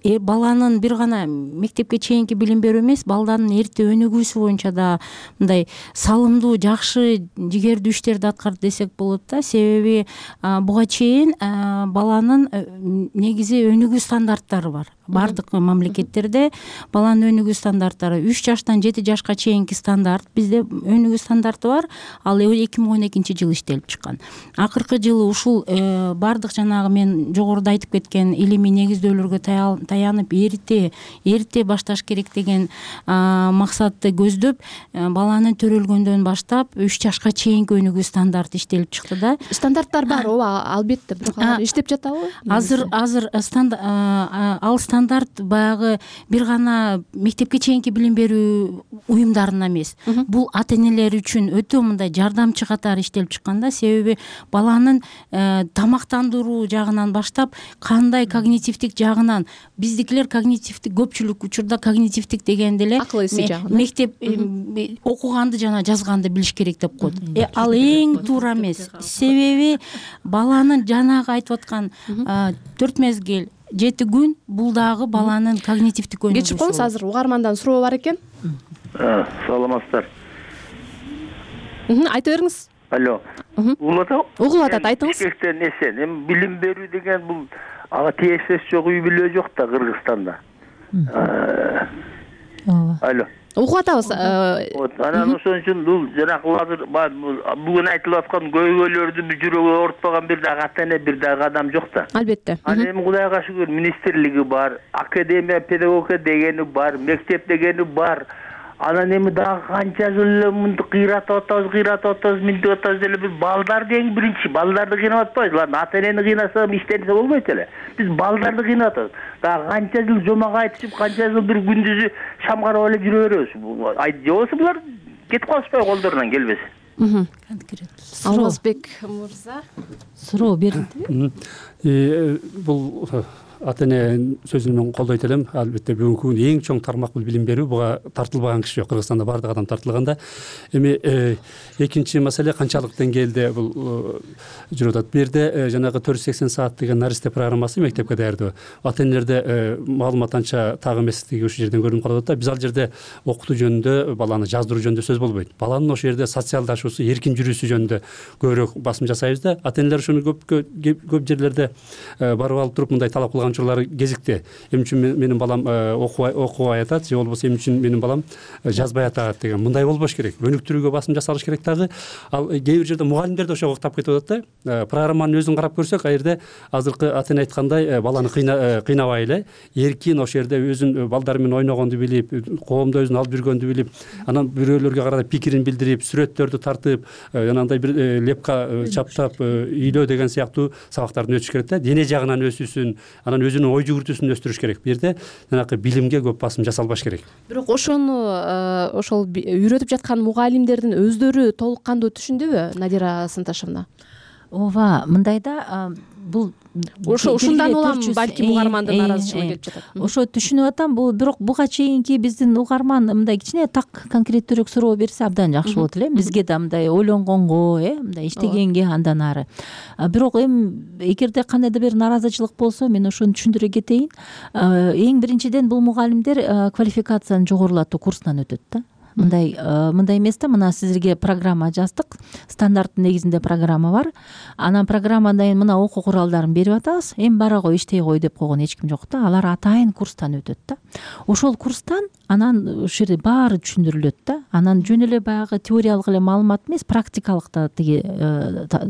баланын бир гана мектепке чейинки билим берүү эмес, балдардын эрте өнүгүүсү боюнча да мындай салымдуу, жакшы, жигердүү иштерди аткарат десек болот да. Себеби буга чейин баланын негизи өнүгүү стандарттары бар. Бардык мамлекеттерде баланын өнүгүү стандарттары 3 жаштан 7 жашка чейинки стандарт, бизде өнүгүү стандарты бар. Ал 2012-жылы иштелип чыккан. Акыркы жылы ушул бардык жанагы мен жогоруда айтып кеткен илимий негиздөөлөргө таянып эрте башташ керек деген максатты көздөп баланын төрөлгөндөн баштап 3 жашка чейинки өнүгүү стандарты иштелип чыкты да. Стандарттар бар, ооба, албетте, бирок алар иштеп жатабы? Азыр ал стандарт баягы бир гана мектепке чейинки билим берүү уюмдарына эмес, бул ата энелер үчүн өтө мындай жардамчы катары иштелип чыккан да. Себеби баланын тамактандыруу жагынан баштап кандай когнитивдик жагынан, биздикилер когнитивдик, көпчүлүк учурда когнитивдик дегенде эле акыл эси жагынан мектеп окуганды жана жазганды билиш керек деп коет. Ал эң туура эмес. Себеби баланын жанагы айтып аткан 4 мезгил 7 күн бул дагы баланын когнитивдик өнүгүүсү. Кечип коңуз, азыр угармандан суроо бар экен. Саламатсыздар. Айта бериңиз. Алло. Угулуп атат, айтыңыз. Бишкектен эсен. Эми билим берүү деген бул ага тиешеси жок үй бүлө жок да Кыргызстанда. Алло. Угуп атабыз. Анан ошон үчүн бул жанагы азыр бүгүн айтылып аткан көйгөйлөрдү жүрөгү оорутпаган бир дагы ата эне, бир дагы адам жок да. Албетте. Анан эми Кудайга шүгүр министрлиги бар, академия педагогика дегени бар, мектеп дегени бар. Анан эми дагы канча жыл эле мынтип кыйратып атабыз, мынтип атабыз деле бир балдарды эң биринчи балдарды кыйнап атпайбыз. Алар ата энени кыйнаса иштенсе болбойт эле. Биз балдарды кыйнап атабыз. Дагы канча жыл жомок айтышып, канча жыл бир күндүзү шам карап эле жүрө беребиз. Жобосу булар кетип калышпайбы колдорунан келбесе. Алмазбек мырза суроо бердиби? Бул ата эне сөзүн мен колдойт элем. Албетте бүгүнкү күндө эң чоң тармак бул билим берүү. Буга тартылбаган киши жок. Кыргызстанда бардык адам тартылганда. Эми экинчи маселе канчалык деңгээлде бул жүрүп атат. Бир жерде жанагы 480 саат деген наристе программасы мектепке даярдоо. Ата энелерде маалымат анча так эместиги ушул жерден көрүнүп калып атат. Биз ал жерде окутуу жөнүндө, баланы жаздыруу жөнүндө сөз болбойт. Баланын ошол жерде социалдашуусу, эркин жүрүүсү жөнүндө көбүрөөк басым жасайбыз да. Ата энелер ушуну көп жерлерде барып алып туруп мындай талап кылган учурлар кезикти. Эмне үчүн менин балам окубай атат, же болбосо эмне үчүн менин балам жазбай атат деген. Мындай болбош керек. Өнүктүрүүгө басым жасалыш керек дагы. Ал кээ бир жерде мугалимдер да ошого уктап кетип атат да. Программанын өзүн карап көрсөк, ал жерде азыркы ата эне айткандай баланы кыйнабай эле, эркин ошол жерде өзүн балдары менен ойногонду билип, коомдо өзүн алып жүргөндү билип, анан бирөөлөргө карата пикирин билдирип, сүрөттөрдү тартып, жанагындай бир лепка чаптап үйлөө деген сыяктуу сабактарды өтүш керек да. Дене жагынан өсүүсүн, анан өзүнүн ой жүгүртүүсүн өстүрүш керек. Бу жерде жанагы билимге көп басым жасалбаш керек. Бирок ошону ошол үйрөтүп жаткан мугалимдердин өздөрү толук кандуу түшүндүбү, Надира Сынташевна? Ооба, мындай да, бул ушундан улам балким угармандын нааразычылыгы келип жатат. Ошо түшүнүп атам, бирок буга чейинки биздин угарман мындай кичине так конкреттүүрөөк суроо берсе абдан жакшы болот эле. Бизге да мындай ойлонгонго, мындай иштегенге андан ары. Бирок эми эгерде кандайдыр бир нааразычылык болсо, мен ошону түшүндүрө кетейин. Эң биринчиден бул мугалимдер квалификацияны жогорулатуу курсунан өтөт да. Мындай эмес да, мына силерге программа жаздык, стандарттын негизинде программа бар. Анан программадан мына окуу куралдарын берип атабыз. Эми бара кой, иштей кой деп койгон эч ким жок да. Алар атайын курстан өтөт да. Ошол курстан анан ушул жерде баары түшүндүрүлөт да. Анан жөн эле баягы теориялык эле маалымат эмес, практикалык да тиги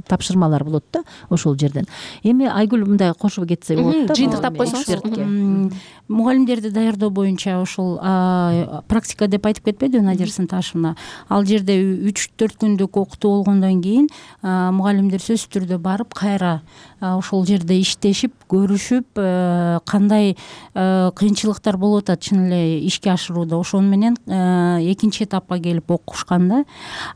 тапшырмалар болот да ошол жерден. Эми Айгүл мындай кошуп кетсе болот да. Жыйынтыктап койсоңуз. Мугалимдерди даярдоо боюнча ошол практика деп айтып кетпедиби Надира Сынташевна? Ал жерде 3-4 күндүк окутуу болгондон кийин мугалимдер сөзсүз түрдө барып кайра ошол жерде иштешип, көрүшүп, кандай кыйынчылыктар болуп атат чын эле ишке ашырууда, ошону менен экинчи этапка келип окушкан да.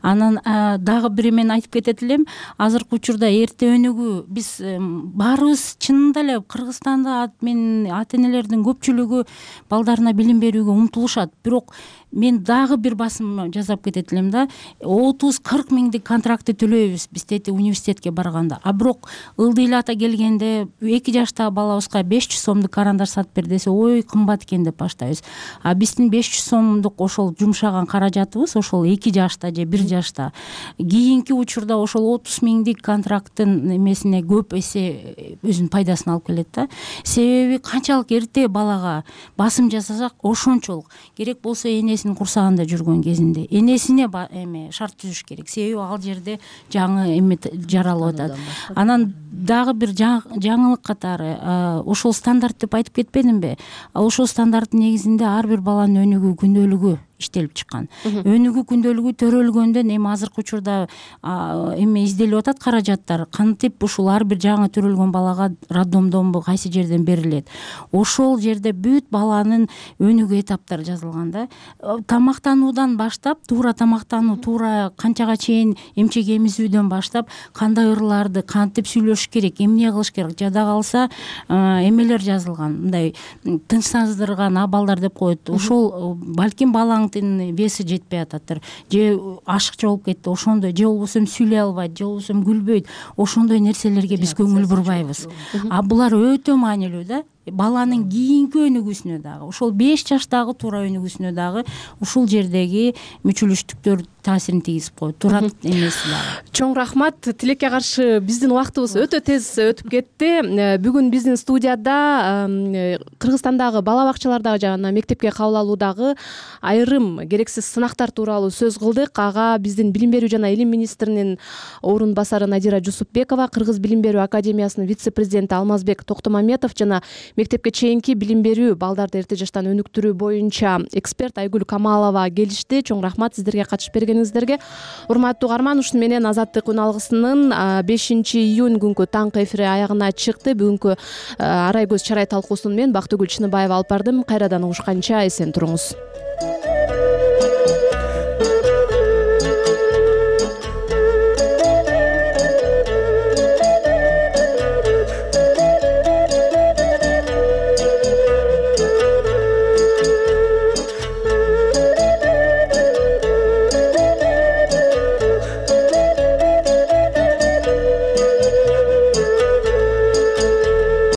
Анан дагы бир мен айтып кетет элем, азыркы учурда эрте өнүгүү, биз баарыбыз чынында эле Кыргызстанда мен ата энелердин көпчүлүгү балдарына билим берүүгө умтулушат. Бирок мен дагы бир басым жасап кетет элем да. 30-40 миңдик контрактты төлөйбүз биз тети университетке барганда. А бирок ылдый ата келгенде 2 жаштагы балабызга 500 сомдук карандар сатып бер десе, ой кымбат экен деп баштайбыз. А биздин 500 сомдук ошол жумшаган каражатыбыз ошол 2 жашта же 1 жашта. Кийинки учурда ошол 30 миңдик контракттын эмесине көп эсе өзүнүн пайдасын алып келет да. Себеби канчалык эрте балага басым жасасак, ошончолук. Керек болсо энесинин курсагында жүргөн кезинде энесине шарт түзүш керек. Себеби ал жерде жаңы эме жаралып атат. Анан дагы дагы бир жаңылык катары ошол стандарт деп айтып кетпедимби? Ошол стандарттын негизинде ар бир баланын өнүгүү күндөлүгү иштелип чыккан. Өнүгүү күндөлүгү төрөлгөндөн эми азыркы учурда эме изделип атат каражаттар. Кантип ушул ар бир жаңы төрөлгөн балага роддомдонбу кайсы жерден берилет. Ошол жерде бүт баланын өнүгүү этаптары жазылган да. Тамактануудан баштап, туура тамактануу, туура канчага чейин эмчек эмизүүдөн баштап, кандай ырларды кантип сүйлөшүш керек, эмне кылыш керек, жада калса эмелер жазылган. Мындай тынчсыздырган абалдар деп коет. Ошол балким балаң веси жетпей ататтыр, же ашыкча болуп кетти, ошондой, же болбосо сүйлөй албайт, же болбосо күлбөйт, ошондой нерселерге биз көңүл бурбайбыз. Булар өтө маанилүү да. Баланын кийинки өнүгүүсүнө дагы, ошол 5 жаштагы туура өнүгүүсүнө дагы ушул жердеги мүчүлүштүктөр таасирин тийгизип коет. Турат эмеси дагы. Чоң рахмат. Тилекке каршы биздин убактыбыз өтө тез өтүп кетти. Бүгүн биздин студияда Кыргызстандагы бала бакчалардагы жана мектепке кабыл алуудагы айрым керексиз сынактар тууралуу сөз кылдык. Ага биздин билим берүү жана илим министринин орун басары Надира Жусупбекова, Кыргыз билим берүү академиясынын вице-президенти Алмазбек Токтомаметов жана мектепке чейинки билим берүү, балдарды эрте жаштан өнүктүрүү боюнча эксперт Айгүл Камалова келишти. Чоң рахмат сиздерге катышып бергениңиздерге. Урматтуу угарман, ушуну менен Азаттык үн алгысынын 5-июнь күнкү таңкы эфири аягына чыкты. Бүгүнкү арай көз чарай талкуусун мен Бактыгүл Чыныбаева алып бардым. Кайрадан угушканча эсен туруңуз.